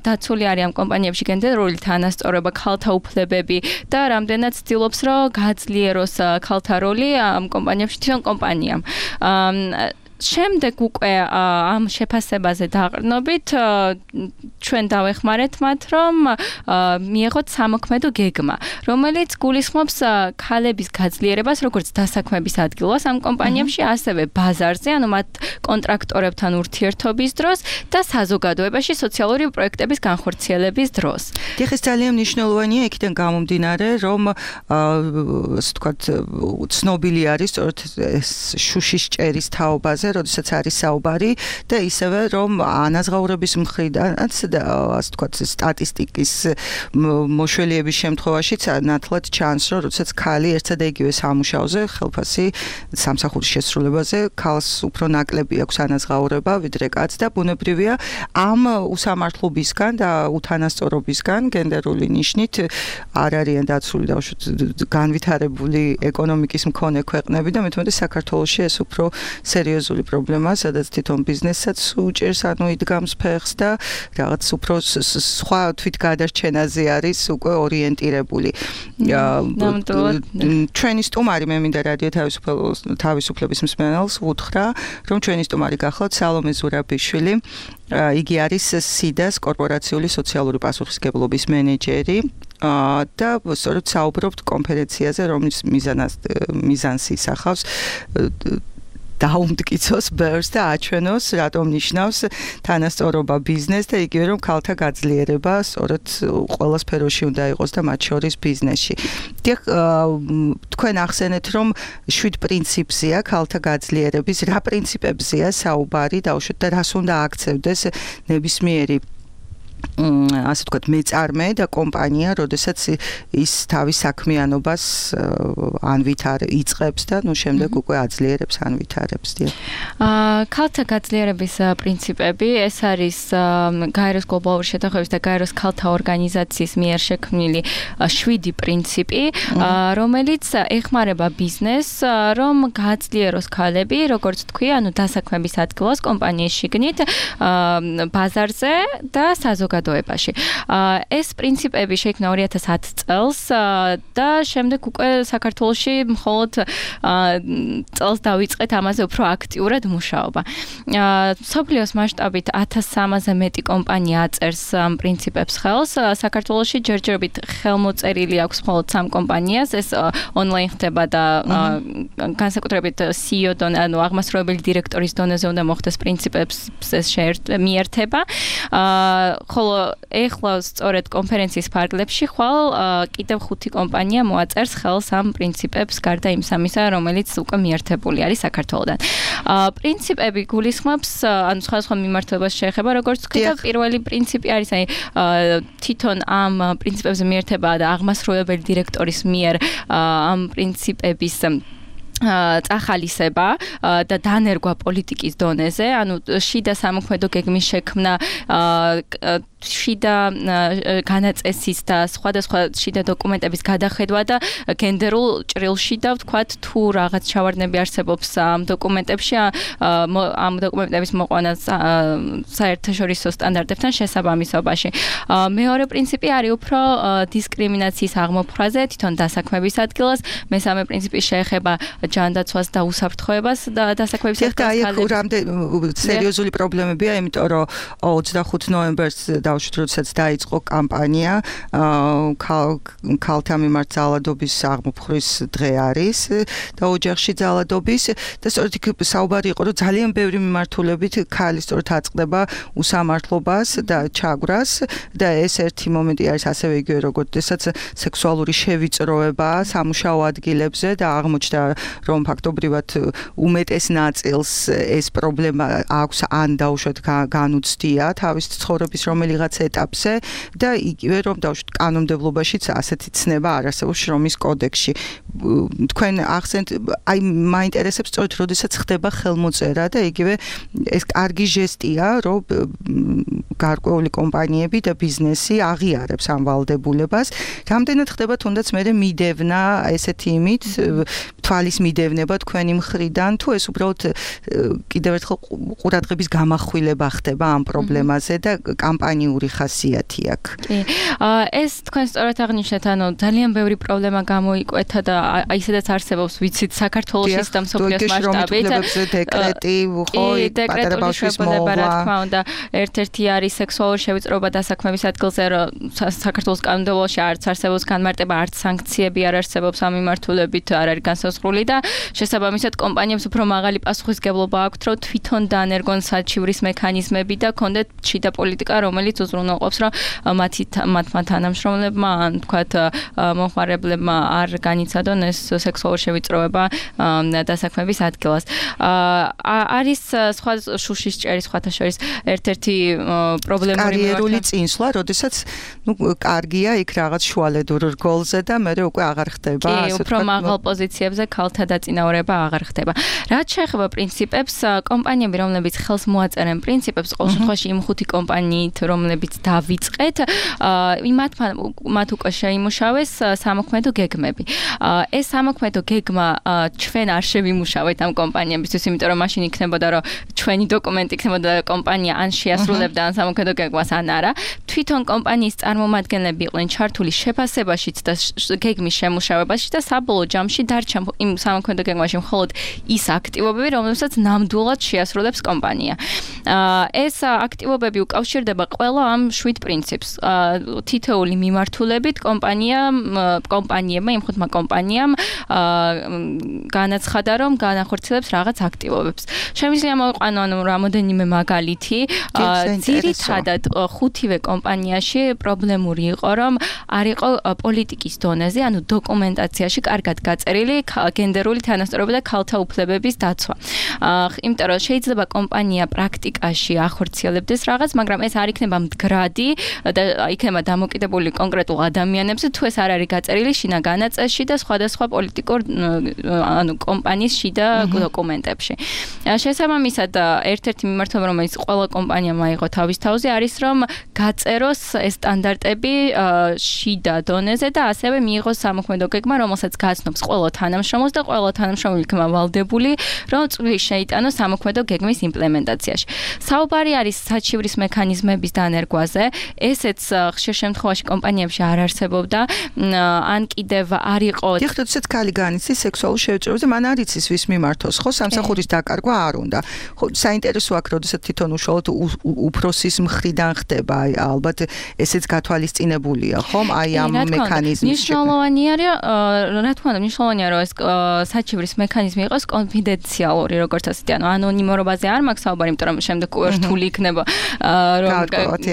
დაცული არის ამ კომპანიებში გენდერული თანასწორობა, ქალთა უფლებები და რამდენად ცდილობს, რომ გაძლიეროს ქალთა როლი ამ კომპანიებში, თვითონ კომპანიამ. შემდეგ უკვე ამ შეფასებაზე დაყრდნობით ჩვენ დავეხმარეთ მათ, რომ მიიღოთ სამოქმედო გეგმა, რომელიც გულისხმობს ქალების გაძლიერებას, როგორც დასაქმების ადგილას ამ კომპანიებში, ასევე ბაზარზე, ანუ მათ კონტრაქტორებთან ურთიერთობის დროს და საზოგადოებაში სოციალური პროექტების განხორციელების დროს. დიახ, ეს ძალიან მნიშვნელოვანია იქიდან გამომდინარე, რომ ასე ვთქვათ, ცნობილი არის სწორედ ეს შუშის ჭერის თაობაზე, პრობლემაზე, როდესაც არის საუბარი და ისევე რომ ანაზღაურების მხრიდანაც და ასე ვთქვათ სტატისტიკის მოშველიების შემთხვევაშიც ნათლად ჩანს, რომ როდესაც ქალი ერთსა და იგივე სამუშაოზე ხელფასი სამსახურის შესრულებაზე ქალს უფრო ნაკლები აქვს ანაზღაურება ვიდრე კაცს და ბუნებრივია ამ უსამართლობისგან და უთანასწორობისგან გენდერული ნიშნით არ არიან დაცული და განვითარებული ეკონომიკის მქონე ქვეყნები და მეთქე საქართველოში ეს უფრო სერიოზული პრობლემაა, სადაც თვითონ ბიზნესაც უჭერს, ანუ იდგამს ფეხს და რაღაც უფრო სხვა თვითგადარჩენაზე არის უკვე ორიენტირებული. ჩვენი სტუმარი მე მინდა რადიო თავისუფლების მსმენელს ვუთხრა, რომ ჩვენი სტუმარი გახლავთ სალომე ზურაბიშვილი. იგი არის სიდას კორპორაციული სოციალური პასუხისმგებლობის მენეჯერი და სწორედ საუბრობთ კონფერენციაზე, რომლის მიზანს ისახავს დაუმტკიცოს ბერს და აჩვენოს, რატომ ნიშნავს თანასწორობა ბიზნესს და იგივე რომ ქალთა გაძლიერება სწორედ ყველა სფეროში უნდა იყოს და მათ შორის ბიზნესში. დიახ, თქვენ ახსენეთ, რომ შვიდ პრინციპზეა ქალთა გაძლიერების, რა პრინციპებზეა საუბარი დაუშვათ და რას უნდა აქცევდეს ნებისმიერი ასე ვთქვათ მეწარმე და კომპანია, როდესაც ის თავის საქმიანობას ანვითარ იწყებს და ნუ შემდეგ უკვე აძლიერებს, ანვითარებს. აა ქალთა გაძლიერების პრინციპები, ეს არის გაეროს გლობალური შეთანხმების და გაეროს ქალთა ორგანიზაციის მიერ შექმნილი შვიდი პრინციპი, რომელიც ეხმარება ბიზნესს, რომ გაძლიეროს ქალები, როგორც თქვი, ანუ დასაქმების ადგილას კომპანიის შიგნით, ბაზარზე და საზოგადოებაში. ეს პრინციპები შეიქმნა ორი ათას ათი წელს და შემდეგ უკვე საქართველოში მხოლოდ წელს დავიწყეთ ამაზე უფრო აქტიურად მუშაობა. სოფლიოს მასშტაბით ათას სამასზე მეტი კომპანია აწერს ამ პრინციპებს ხელს. საქართველოში ჯერჯერობით ხელმოწერილი აქვს მხოლოდ სამ კომპანიას, ეს ონლაინ ხდება და განსაკუთრებით სი ი ო დონე, ანუ აღმასრულებელი დირექტორის დონეზე უნდა მოხდეს პრინციპებს მიერთება. ხოლო ეხლა სწორედ კონფერენციის ფარგლებში ხვალ კიდევ ხუთი კომპანია მოაწერს ხელს ამ პრინციპებს გარდა იმ სამისა, რომელიც უკვე მიერთებული არის საქართველოდან. პრინციპები გულისხმობს, ანუ სხვადასხვა მიმართულებას შეეხება, როგორც თქვი და პირველი პრინციპი არის, აი თვითონ ამ პრინციპებზე მიერთება და აღმასრულებელი დირექტორის მიერ ამ პრინციპების წახალისება და დანერგვა პოლიტიკის დონეზე, ანუ შიდა სამოქმედო გეგმის შექმნა, შიდა განაწესის და სხვადასხვა შიდა დოკუმენტების გადახედვა და გენდერულ ჭრილში და ვთქვათ, თუ რაღაც ჩავარდნები არსებობს ამ დოკუმენტებში, ამ დოკუმენტების მოყვანა საერთაშორისო სტანდარტებთან შესაბამისობაში. მეორე პრინციპი არის უფრო დისკრიმინაციის აღმოფხვრაზე, თვითონ დასაქმების ადგილას, მესამე პრინციპი შეეხება ჯანდაცვას და უსაფრთხოებას და დასაქმების ადგილას. და აი რამდენი სერიოზული პრობლემებია, იმიტომ რომ ოცდახუთი ნოემბერს დავუშვით, როდესაც დაიწყო კამპანია, ქალთა მიმართ ძალადობის აღმოფხვრვის დღე არის და ოჯახში ძალადობის და სწორედ იქ საუბარი იყო, რომ ძალიან ბევრი მიმართულებით ქალი სწორედ აწყდება უსამართლობას და ჩაგვრას და ეს ერთი მომენტი არის ასევე იგივე როგორც ესაც სექსუალური შევიწროება სამუშაო ადგილებზე და აღმოჩნდა რომ ფაქტობრივად უმეტეს ნაწილს ეს პრობლემა აქვს ან დაუშვათ განუცდია თავის ცხოვრების რომელიღაც ეტაპზე და იგივე რომ დაუშვათ კანონმდებლობაშიც ასეთი ცნება არ არსებობს შრომის კოდექსში. თქვენ ახსენეთ, აი მაინტერესებს სწორედ როდესაც ხდება ხელმოწერა და იგივე ეს კარგი ჟესტია, რომ გარკვეული კომპანიები და ბიზნესი აღიარებს ამ ვალდებულებას. რამდენად ხდება თუნდაც მე მიდევნა ესეთი იმით თვალის მიდევნება თქვენი მხრიდან, თუ ეს უბრალოდ კიდევ ერთხელ ყურადღების გამახვილება ხდება ამ პრობლემაზე და კამპანიური ხასიათი აქვს. კი. ეს თქვენ სწორად აღნიშნეთ, ანუ ძალიან ბევრი პრობლემა გამოიკვეთა და აი სადაც არსებობს, ვიცით, საქართველოს და მსოფლიოს მასშტაბით. დეკრეტი, ხო, პატარა ბავშვის მოვლა. რა თქმა უნდა, ერთ-ერთი არის სექსუალური შევიწროება დასაქმების ადგილზე, რომ საქართველოს კანონმდებლობაში არც არსებობს განმარტება, არც სანქციები არ არსებობს ამ მიმართულებით, არ არის განსაზღვრული და შესაბამისად კომპანიებს უფრო მაღალი პასუხისმგებლობა აქვთ, რომ თვითონ დანერგონ საჩივრის მექანიზმები და კონდეთ შიდა პოლიტიკა, რომელიც იმით უზრუნველყოფს, რომ მათი მათმა თანამშრომლებმა ან თქვათ მომხმარებლებმა არ განიცადონ ეს სექსუალური შევიწროება დასაქმების ადგილას. არის სხვა შუშის ჭერის სხვათა შორის ერთ-ერთი პრობლემური კარიერული წინსვლა, როდესაც ნუ კარგია იქ რაღაც შუალედურ რგოლზე და მე უკვე აღარ ხდება, ასე ვთქვათ. კი, უფრო მაღალ პოზიციებზე ქალთა დაწინაურება აღარ ხდება. რაც შეეხება პრინციპებს, კომპანიები, რომლებიც ხელს მოაწერენ პრინციპებს, ყოველ შემთხვევაში იმ ხუთი კომპანიით, რომლებიც დავიწყეთ, იმათ მათ უკვე შეიმუშავეს სამოქმედო გეგმები. ეს სამოქმედო გეგმა ჩვენ არ შევიმუშავეთ ამ კომპანიებისთვის, იმიტომ რომ მაშინ იქნებოდა, რომ ჩვენი დოკუმენტი იქნებოდა კომპანია ან შეასრულებდა ან სამოქმედო გეგმას ან არა. თვითონ კომპანიის წარმომადგენლები იყვნენ ჩართული შეფასებაშიც და გეგმის შემუშავებაში და საბოლოო ჯამში დარჩა იმ სამოქმედო გეგმაში მხოლოდ ის აქტივობები, რომლებსაც ნამდვილად შეასრულებს კომპანია. ეს აქტივობები უკავშირდება ყველა ამ შვიდ პრინციპს. თითოეული მიმართულებით კომპანიამ კომპანიებმა იმ ხუთმა კომპანიამ განაცხადა, რომ განახორციელებს რაღაც აქტივობებს. შემიძლია მოვიყვანო ანუ რამოდენიმე მაგალითი. ძირითადად ხუთივე კომპანიაში პრობლემური იყო, რომ არ იყო პოლიტიკის დონეზე, ანუ დოკუმენტაციაში კარგად გაწერილი გენდერული თანასწორობა და ქალთა უფლებების დაცვა. იმიტომ რომ შეიძლება კომპანია პრაქტიკაში ახორციელებდეს რაღაც, მაგრამ ეს არ იქნება მდგრადი და იქნება დამოკიდებული კონკრეტულ ადამიანებზე, თუ ეს არ არის გაწერილი შინა განაწესში და სხვადასხვა პოლიტიკურ ანუ კომპანიის შიდა დოკუმენტებში. შესაბამისად, ერთ-ერთი მიმართულება, რომელიც ყველა კომპანიამ აიღო თავის თავზე, არის რომ გაწეროს ეს სტანდარტები შიდა დონეზე და ასევე მიიღოს სამოქმედო გეგმა, რომელსაც გაცნობს ყველა თანამშრომელს და ყველა თანამშრომელი იქნება ვალდებული, რომ წვლილი შეიტანოს სამოქმედო გეგმის იმპლემენტაციაში. საუბარი არის საჩივრის მექანიზმების დანერგვაზე. ესეც ხშირ შემთხვევაში კომპანიებში არ არსებობდა, ან კიდევ არ იყო. დიახ, როდესაც ქალი განიცდის სექსუალურ შევიწროებაზე, მან არ იცის ვის მიმართოს, ხო, სამსახურის დაკარგვა არ უნდა. ხო, საინტერესო აქ, როდესაც თვითონ უშუალოდ უფროსის მხრიდან ხდება, ალბათ ესეც გათვალისწინებულია, ხომ? აი ამ მექანიზმის. მნიშვნელოვანი არის, რა თქმა უნდა, მნიშვნელოვანია, რომ ეს საჩივრის მექანიზმი იყოს კონფიდენციალური, როგორც ასეთი, ანუ ანონიმურობაზე არ მაქვს საუბარი, იმიტომ რომ შემდეგ რთული იქნება რომ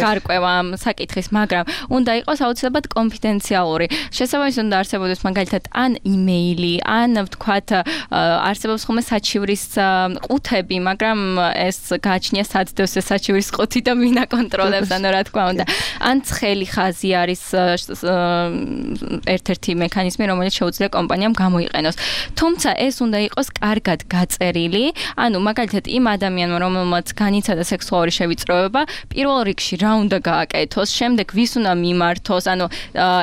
გარკვევა ამ საკითხის, მაგრამ უნდა იყოს აუცილებლად კონფიდენციალური. შესაბამისად უნდა არსებობდეს მაგალითად ან იმეილი, ან ვთქვათ არსებობს ხოლმე საჩივრის ყუთები, მაგრამ ეს გააჩნია საცდევს ეს საჩივრის ყუთი და ვინ აკონტროლებს, ანუ რა თქმა უნდა. ან ცხელი ხაზი არის ერთ-ერთი მექანიზმი, რომელიც შეუძლია კომპანიამ გამოიყენოს. თუმცა ეს უნდა იყოს კარგად გაწერილი, ანუ მაგალითად იმ ადამიანმა, რომელმაც განიცადა სექსუალური შევიწროება, პირველ რიგში რა უნდა გააკეთოს, შემდეგ ვის უნდა მიმართოს, ანუ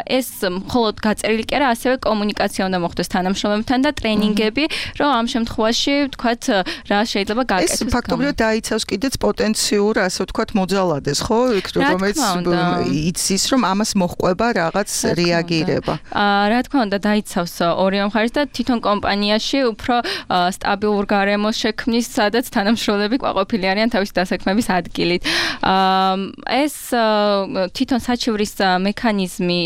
ეს მხოლოდ გაწერილი კი არა, ასევე კომუნიკაცია უნდა მოხდეს თანამშრომლებთან და ტრენინგები, რომ ამ შემთხვევაში ვთქვათ რა შეიძლება გააკეთოს. ეს ფაქტობრივად დაიცავს კიდეც პოტენციურ, ასე ვთქვათ, მოძალადეს, ხო? რომელიც იცის, რომ ამას მოჰყვება რაღაც რეაგირება. რა თქმა უნდა, დაიცავს ორივე მხარეს და თვითონ კომპანიაში უფრო სტაბილურ გარემოს შექმნის, სადაც თანამშრომლები ყვაყოფილი არიან თავისი დასაქმების ადგილით. ეს თვითონ საჩივრის მექანიზმი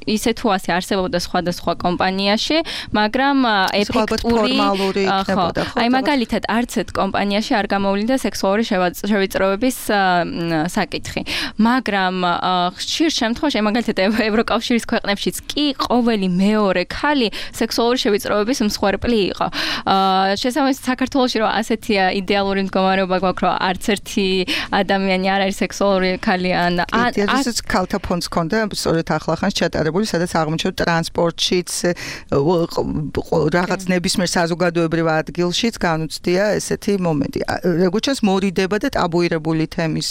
ისე თუ ასე არსებობდა სხვადასხვა კომპანიაში, მაგრამ ეფექტური იქნებოდა, ხო? აი მაგალითად, არც ერთ კომპანიაში არ გამოვლინდა სექსუალური შევიწროების საკითხი. მაგრამ ხშირ შემთხვევაში, მაგალითად, ევროკავშირის ქვეყნებშიც კი ყოველი მეორე ქალი სექსუალური შევიწროების მსხვერპლი იყო. შესაბამისად, საქართველოში რომ ასეთი იდეალური მდგომარეობა გვაქვს, რომ არც ერთი ადამიანი არ არის სექსუალური ქალი ან ეს ქალთა ფონდს ჰქონდა, სწორედ ახლახანს ჩატარებული, სადაც აღმოჩნდა ტრანსპორტშიც, რაღაც ნებისმიერ საზოგადოებრივ ადგილშიც განუცდია ესეთი მომენტი. როგორც ჩანს, მორიდება და ტაბუირებული თემის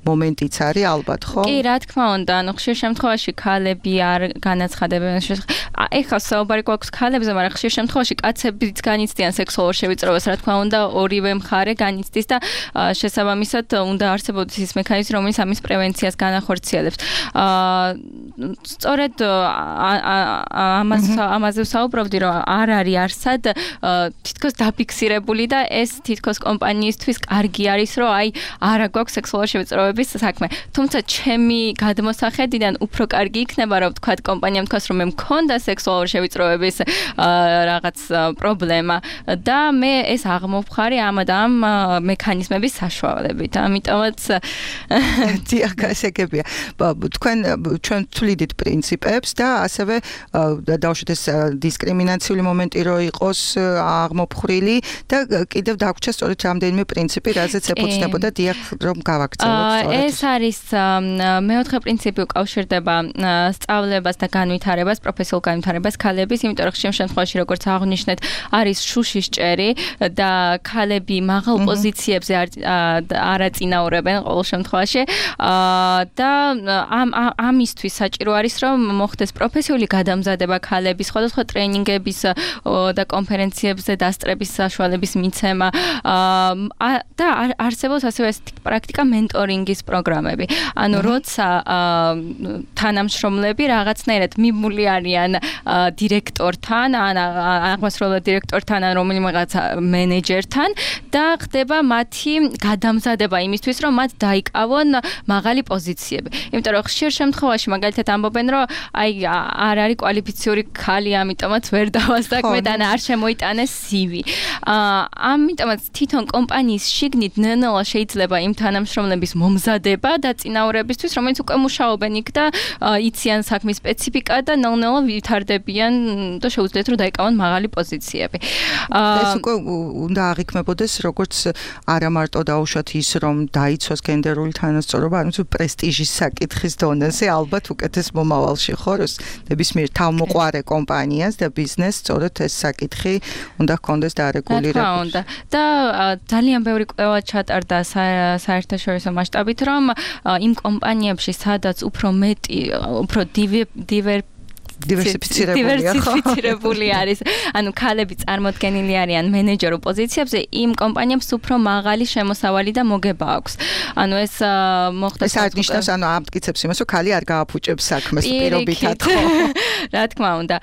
მომენტიც არის ალბათ, ხო? კი, რა თქმა უნდა, ანუ ხშირ შემთხვევაში ქალები არ განაცხადებენ. ეხლა საუბარი გვაქვს ქალებზე, მაგრამ ხშირ შემთხვევაში კაცებიც განიცდიან სექსუალურ შევიწროებას, რა თქმა უნდა, ორივე მხარე განიცდის და შესაბამისად უნდა არსებობდეს ის მექანიზმი, რომელიც ამის პრევენციას განახორციელებს. სწორედ ამას ამაზე ვსაუბრობდი, რომ არ არის არსად თითქოს დაფიქსირებული და ეს თითქოს კომპანიისთვის კარგი არის, რომ აი არა გვაქვს სექსუალური შევიწროების საქმე. თუმცა ჩემი გადმოსახედიდან უფრო კარგი იქნება, რომ ვთქვათ კომპანიამ თქვას, რომ მე მქონდა სექსუალური შევიწროების რაღაც პრობლემა და მე ეს აღმოვხარი ამ და ამ მექანიზმების საშუალებით. ამიტომაც ხალხმოც დიახ, გასაგებია. თქვენ ჩვენ თვლიდით პრინციპებს და ასევე დავუშვით ეს დისკრიმინაციული მომენტი რო იყოს აღმოფხრილი და კიდევ დაგვრჩა სწორედ რამდენიმე პრინციპი, რაზეც ეფუძნებოდა დიახ რომ გავაგრძელოთ სწორედ. ეს არის მეოთხე პრინციპი უკავშირდება სწავლებას და განვითარებას, პროფესიულ განვითარებას ქალების, იმიტომ რომ ხშირ შემთხვევაში როგორც აღნიშნეთ, არის შუშის ჭერი და ქალები მაღალ პოზიციებზე არ აწინაურებენ ყოველ შემთხვევაში და ამ ამისთვის საჭირო არის რომ მოხდეს პროფესიული გადამზადება ქალების, სხვადასხვა ტრენინგების და კონფერენციებზე დასწრების საშუალების მიცემა და არსებობს ასევე პრაქტიკა მენტორინგის პროგრამები. ანუ როცა თანამშრომლები რაღაცნაირად მიმული არიან დირექტორთან, ან აღმასრულებელ დირექტორთან, ან რომელიღაც მენეჯერთან და ხდება მათი გადამზადება იმისთვის, რომ მათ დაიკავონ მაღალი პოზიციები. იმიტომ რომ ხშირ შემთხვევაში მაგალითად ამბობენ, რომ აი არ არის კვალიფიციური ქალი, ამიტომაც ვერ დავასაქმე და არ შემოიტანეს სი ვი. ამიტომაც თვითონ კომპანიის შიგნით ნელ-ნელა შეიძლება იმ თანამშრომლების მომზადება და წინაურებისთვის, რომელიც უკვე მუშაობენ იქ და იციან საქმის სპეციფიკა და ნელ-ნელა ვითარდებიან და შეუძლიათ რომ დაიკავონ მაღალი პოზიციები. ეს უკვე უნდა აღიქმებოდეს როგორც არა მარტო დაუშვათ ის რომ დაიცვას გენდერული თანასწორობა, არამედ პრესტიჟის საკითხის დონეზე ალბათ უკეთეს მომავალში ხო როს ნებისმიერ თავმოყვარე კომპანიას და ბიზნესს სწორედ ეს საკითხი უნდა ჰქონდეს დარეგულირებული. და ძალიან ბევრი კვლევა ჩატარდა საერთაშორისო მასშტაბით, რომ იმ კომპანიებში, სადაც უფრო მეტი, უფრო დივერ დივერსიფიცირებული არის. ანუ ქალები წარმოდგენილი არიან მენეჯერულ პოზიციებზე, იმ კომპანიებს უფრო მაღალი შემოსავალი და მოგება აქვს. ანუ ეს მოხდა ეს აღნიშნავს, ანუ ამტკიცებს იმას, რომ ქალი არ გააფუჭებს საქმეს პირობითად ხო? რა თქმა უნდა.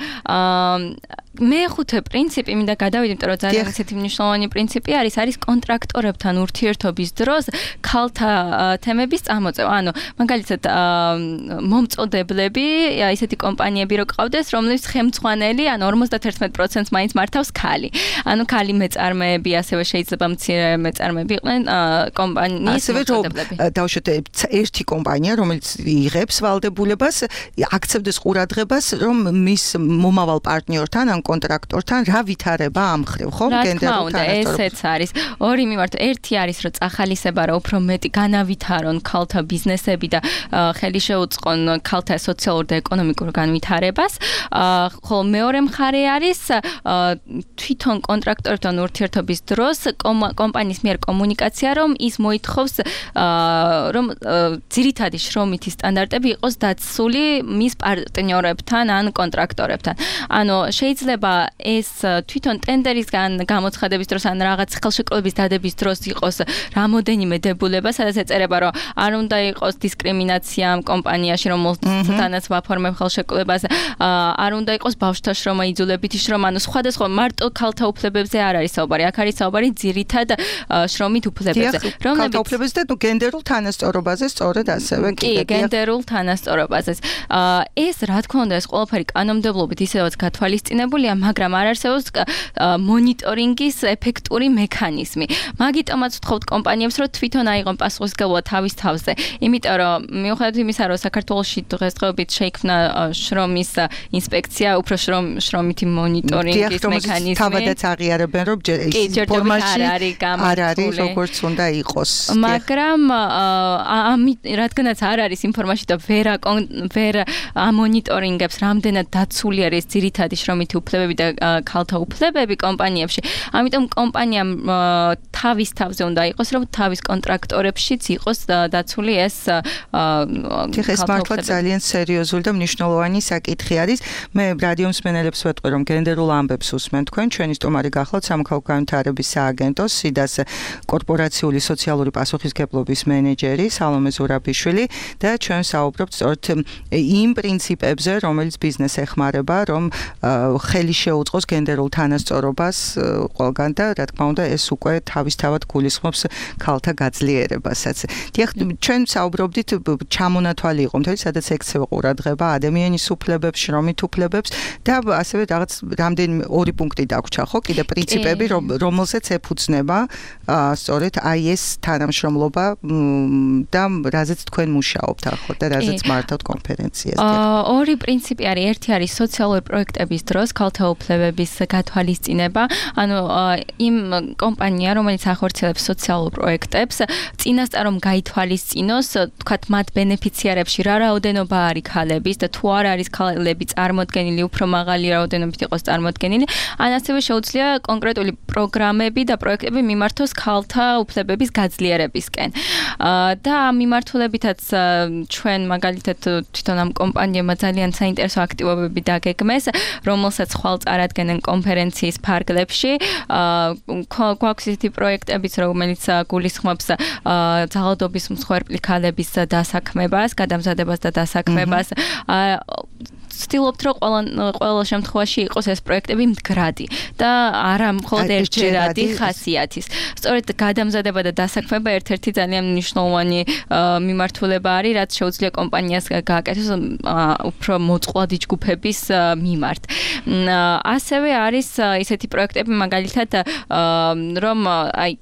მეხუთე პრინციპი მინდა გადავიდე, იმიტომ რომ ძალიან ისეთი მნიშვნელოვანი პრინციპი არის, არის კონტრაქტორებთან ურთიერთობის დროს ქალთა თემების წამოწევა. ანუ მაგალითად მომწოდებლები, ისეთი კომპანიები რო ყავდეს, რომლის ხელმძღვანელი, ანუ ორმოცდაერთმეტ პროცენტს მაინც მართავს ქალი. ანუ ქალი მეწარმეები, ასევე შეიძლება მცირე მეწარმეები იყვნენ კომპანიის მომწოდებლები. დავუშვათ ერთი კომპანია, რომელიც იღებს ვალდებულებას, აქცევდეს ყურადღებას, რომ მის მომავალ პარტნიორთან ან კონტრაქტორთან რა ვითარება ამხრივ, ხო? გენდერულ თანასწორობას. ესეც არის. ორი მიმართ, ერთი არის, რომ წახალისება რა უფრო მეტი განავითარონ ქალთა ბიზნესები და ხელი შეუწყონ ქალთა სოციალურ და ეკონომიკურ განვითარებას. ხოლო მეორე მხარე არის თვითონ კონტრაქტორთან ურთიერთობის დროს კომპანიის მიერ კომუნიკაცია, რომ ის მოითხოვს, რომ ძირითადი შრომითი სტანდარტები იყოს დაცული მის პარტნიორებთან ან კონტრაქტორებთან. ანუ შეიძლება ეს თვითონ ტენდერისგან გამოცხადების დროს ან რაღაც ხელშეკრულების დადების დროს იყოს რამოდენიმე დებულება, სადაც ეწერება, რომ არ უნდა იყოს დისკრიმინაცია ამ კომპანიაში, რომელთანაც ვაფორმებ ხელშეკრულებას, არ უნდა იყოს ბავშვთა შრომა, იძულებითი შრომა, ანუ სხვადასხვა მარტო ქალთა უფლებებზე არ არის საუბარი, აქ არის საუბარი ძირითად შრომით უფლებებზე, რომლებიც ქალთა უფლებებზე და გენდერულ თანასწორობაზე სწორედ ასევე კი, გენდერულ თანასწორობაზე. ეს რა თქმა უნდა, ეს ყველაფერი კანონმდებლობით ისევაც გათვალისწინებულია, მაგრამ არ არსებობს მონიტორინგის ეფექტური მექანიზმი. მაგიტომაც ვთხოვთ კომპანიებს, რომ თვითონ აიღონ პასუხისმგებლობა თავის თავზე. იმიტომ რომ მიუხედავად იმისა, რომ საქართველოში დღესდღეობით შეიქმნა შრომის ინსპექცია, უფრო შრომითი მონიტორინგის მექანიზმი. თავადაც აღიარებენ, რომ ფორმაში არ არის როგორც უნდა იყოს. მაგრამ ამით რადგანაც არ არის ინფორმაცია და ვერ ვერ ამონიტორინგებს, რამდენად დაცული არის ძირითადი შრომითი უფლებები და ქალთა უფლებები კომპანიებში. ამიტომ კომპანიამ თავის თავზე უნდა იყოს, რომ თავის კონტრაქტორებშიც იყოს დაცული ეს ეს მართლა ძალიან სერიოზული და მნიშვნელოვანი საკითხი არის. მე რადიო მსმენელებს ვეტყვი, რომ გენდერულ ამბებს უსმენ თქვენ. ჩვენი სტუმარი გახლავთ სამოქალაქო განვითარების სააგენტოს სიდას კორპორაციული სოციალური პასუხისმგებლობის მენეჯერი სალომე ზურაბიშვილი და ჩვენ საუბრობთ სწორედ იმ პრინციპებზე, რომელიც ბიზნესს ეხმარება, რომ ხელი შეუწყოს გენდერულ თანასწორობას ყველგან და რა თქმა უნდა ეს უკვე თავისთავად გულისხმობს ქალთა გაძლიერებასაც. დიახ, ჩვენ საუბრობდით ჩამონათვალი იყო მთელი სადაც ექცევა ყურადღება ადამიანის უფლებებს, შრომით უფლებებს და ასევე რაღაც რამდენიმე ორი პუნქტი დაგვრჩა ხო? კიდე პრინციპები, რომელსაც ეფუძნება სწორედ აი ეს თანამშრომლობა და რაზეც თქვენ მუშაობთ ახლა და რაზეც მართავთ კონფერენციას. ორი პრინციპი არის, ერთი არის სოციალური პროექტების დროს ქალთა უფლებების გათვალისწინება, ანუ იმ კომპანია, რომელიც ახორციელებს სოციალურ პროექტებს, წინასწარ რომ გაითვალისწინოს, თქვათ მათ ბენეფიციარებში რა რაოდენობა არის ქალების და თუ არ არის ქალები წარმოდგენილი, უფრო მაღალი რაოდენობით იყოს წარმოდგენილი, ან ასევე შეუძლია კონკრეტული პროგრამები და პროექტები მიმართოს ქალთა უფლებების გაძლიერებისკენ. და ამ მიმართულებითაც ჩვენ მაგალითად თვითონ ამ კომპანიებმა ძალიან საინტერესო აქტივობები დაგეგმეს, რომელსაც ხვალ წარადგენენ კონფერენციის ფარგლებში. გვაქვს ისეთი პროექტებიც, რომელიც გულისხმობს ძალადობის მსხვერპლი ქალების დასაქმებას, გადამზადებას და დასაქმებას. ვცდილობთ, რომ ყველა ყველა შემთხვევაში იყოს ეს პროექტები მდგრადი და არა მხოლოდ ერთჯერადი ხასიათის. სწორედ გადამზადება და დასაქმება ერთ-ერთი ძალიან მნიშვნელოვანი მიმართულება არის, რაც შეუძლია კომპანიას გააკეთოს უფრო მოწყვლადი ჯგუფების მიმართ. ასევე არის ისეთი პროექტები, მაგალითად, რომ აი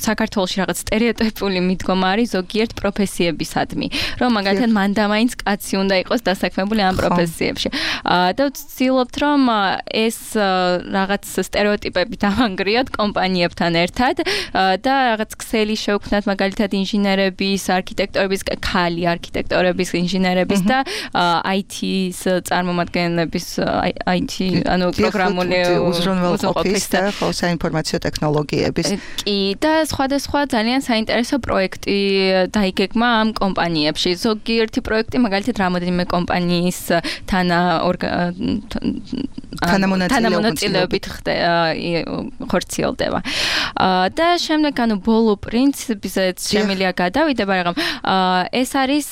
საქართველოში რაღაც სტერეოტიპული მიდგომა არის ზოგიერთ პროფესიებისადმი, რომ მაგალითად მან და მაინც კაცი უნდა იყოს დასაქმებული ამ პროფესიებში. და ვცდილობთ, რომ ეს რაღაც სტერეოტიპები დავანგრიოთ კომპანიებთან ერთად და რაღაც ქსელი შევქმნათ მაგალითად ინჟინერების, არქიტექტორების, ხალი არქიტექტორების, ინჟინერების და აი თის წარმომადგენლების, აი თი, ანუ პროგრამული უზრუნველყოფის და საინფორმაციო ტექნოლოგიების. კი, და სხვადასხვა ძალიან საინტერესო პროექტი დაიგეგმა ამ კომპანიებში. ზოგიერთი პროექტი მაგალითად რამოდენიმე კომპანიის თანა თანამონაწილეობით ხორციელდება. და შემდეგ ანუ ბოლო პრინციპზეც შემიძლია გადავიდე, მაგრამ ეს არის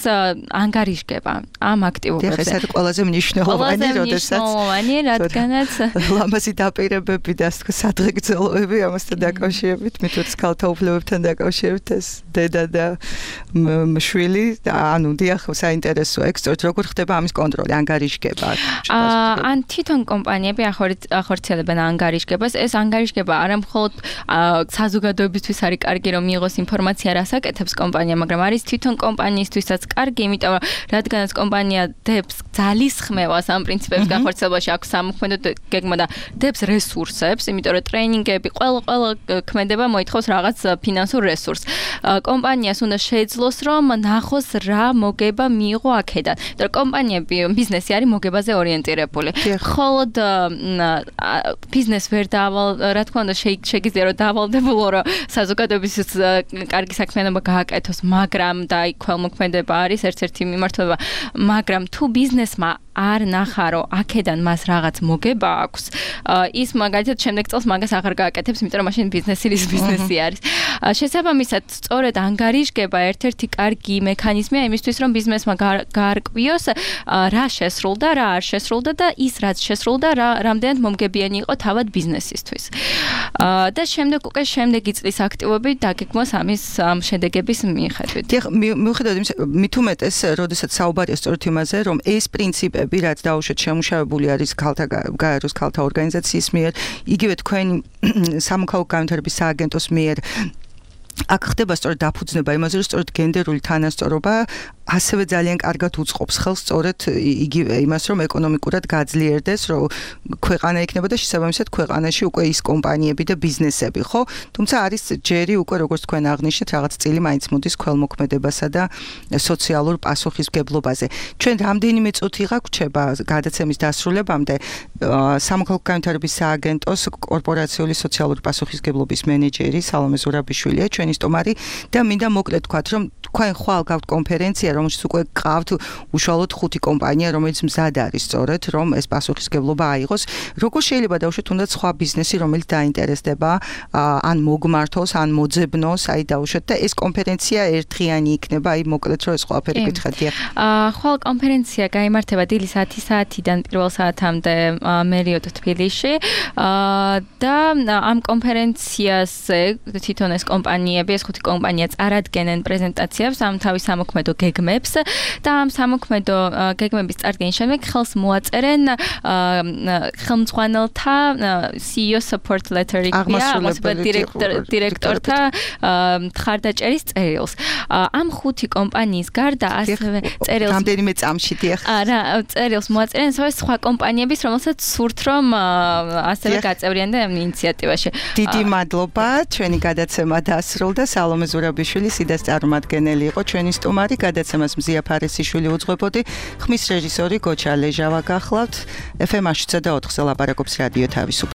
ანგარიშგება ამ აქტივობებზე. ეს არის ყველაზე მნიშვნელოვანი, როდესაც მნიშვნელოვანი, რადგანაც ლამაზი დაპირებები და ასე თქვა სადღეგრძელოები ამასთან დაკავშირებით, მithაც ქალთა უფლებებთან დაკავშირებით ეს დედა და მშვილი, ანუ დიახ, საინტერესოა. ეგ სწორედ როგორ ხდება ამის კონტროლი, ანგარიშგება? ან თვითონ კომპანიები ახორციელებენ ანგარიშგებას. ეს ანგარიშგება არა მხოლოდ საზოგადოებისთვის არის კარგი, რომ მიიღოს ინფორმაცია, რას აკეთებს კომპანია, მაგრამ არის თვითონ კომპანიისთვისაც კარგი, იმიტომ რომ რადგანაც კომპანია დებს ძალისხმევას ამ პრინციპების გახორციელებაში, აქვს სამოქმედო გეგმა და დებს რესურსებს, იმიტომ რომ ტრეინინგები ყველა ყველა ქმედება მოითხოვს რაღაც ფინანსურ რესურსს. კომპანიას უნდა შეეძლოს, რომ ნახოს რა მოგება მიიღო აქედან. იმიტომ რომ კომპანიები, ბიზნესი არის მოგებაზე ორიენტირებული. ხოლოდ ბიზნეს ვერ დაავალ, რა თქმა უნდა, შეგიძლია რომ დაავალდებულო, რომ საზოგადოების კარგი საქმიანობა გააკეთოს, მაგრამ და აი ქველმოქმედება არის ერთ-ერთი მიმართულება, მაგრამ თუ ბიზნესმა არ ნახა, რომ აქედან მას რაღაც მოგება აქვს, ის მაგალითად შემდეგ წელს მაგას აღარ გააკეთებს, იმიტომ რომ მაშინ ბიზნესი ის ბიზნესი არის. შესაბამისად, სწორედ ანგარიშგება ერთ-ერთი კარგი მექანიზმია იმისთვის, რომ ბიზნესმა გაარკვიოს, რა შესრულდა, რა არ შესრულდა და ის რაც შესრულდა, რა რამდენად მომგებიანი იყო თავად ბიზნესისთვის. და შემდეგ უკვე შემდეგი წლის აქტივობები დაგეგმოს ამის ამ შედეგების მიხედვით. დიახ, მიუხედავად იმისა, მით უმეტეს, როდესაც საუბარია სწორედ იმაზე, რომ ეს პრინციპები, რაც დაუშვათ შემუშავებული არის ქალთა გაეროს ქალთა ორგანიზაციის მიერ, იგივე თქვენი სამოქალაქო განვითარების სააგენტოს მიერ აქ ხდება სწორედ დაფუძნება იმაზე, რომ სწორედ გენდერული თანასწორობა ასევე ძალიან კარგად უწყობს ხელს სწორედ იგივე იმას, რომ ეკონომიკურად გაძლიერდეს, რომ ქვეყანა იქნება და შესაბამისად ქვეყანაში უკვე ის კომპანიები და ბიზნესები, ხო? თუმცა არის ჯერი უკვე როგორც თქვენ აღნიშნეთ, რაღაც წილი მაინც მოდის ქველმოქმედებასა და სოციალურ პასუხისმგებლობაზე. ჩვენ რამდენიმე წუთი გაგვრჩება გადაცემის დასრულებამდე სამოქალაქო განვითარების სააგენტოს კორპორაციული სოციალური პასუხისმგებლობის მენეჯერი სალომე ზურაბიშვილია, ჩვენი სტუმარი და მინდა მოკლედ თქვათ, რომ თქვენ ხვალ გაქვთ კონფერენცია, რომელშიც უკვე გყავთ უშუალოდ ხუთი კომპანია, რომელიც მზად არის სწორედ, რომ ეს პასუხისმგებლობა აიღოს. Როგორ შეიძლება დავუშვათ თუნდაც სხვა ბიზნესი, რომელიც დაინტერესდება, ან მოგმართოს, ან მოძებნოს, აი დავუშვათ და ეს კონფერენცია ერთდღიანი იქნება, აი მოკლედ რომ ეს ყველაფერი გითხრათ. აა ხვალ კონფერენცია გაიმართება დილის ათი საათიდან პირველ საათამდე მერიოტ თბილისში. აა და ამ კონფერენციაზე თვითონ ეს კომპანიები, ეს ხუთი კომპანია წარადგენენ პრეზენტაციებს ამ თავის სამოქმედო გეგმებს და ამ სამოქმედო გეგმების წარდგენის შემდეგ ხელს მოაწერენ ხელმძღვანელთა C E O support letter-ი დირექტორთა მხარდაჭერის წერილს. ამ ხუთი კომპანიის გარდა ასევე წერილს რამდენიმე წამში დიახ. არა, წერილს მოაწერენ ასევე სხვა კომპანიების, რომელსაც სურთ რომ ასევე გაწევრიანდნენ ამ ინიციატივაში. დიდი მადლობა, ჩვენი გადაცემა დასრულდა. სალომე ზურაბიშვილი სიდას წარმომადგენელი იყო ჩვენი სტუმარი, გადაცემას მზია ფარესიშვილი უძღვებოდი. ხმის რეჟისორი გოჩა ლეჟავა გახლავთ. F M ათი და ოთხზე ლაპარაკობს რადიო თავისუფლება.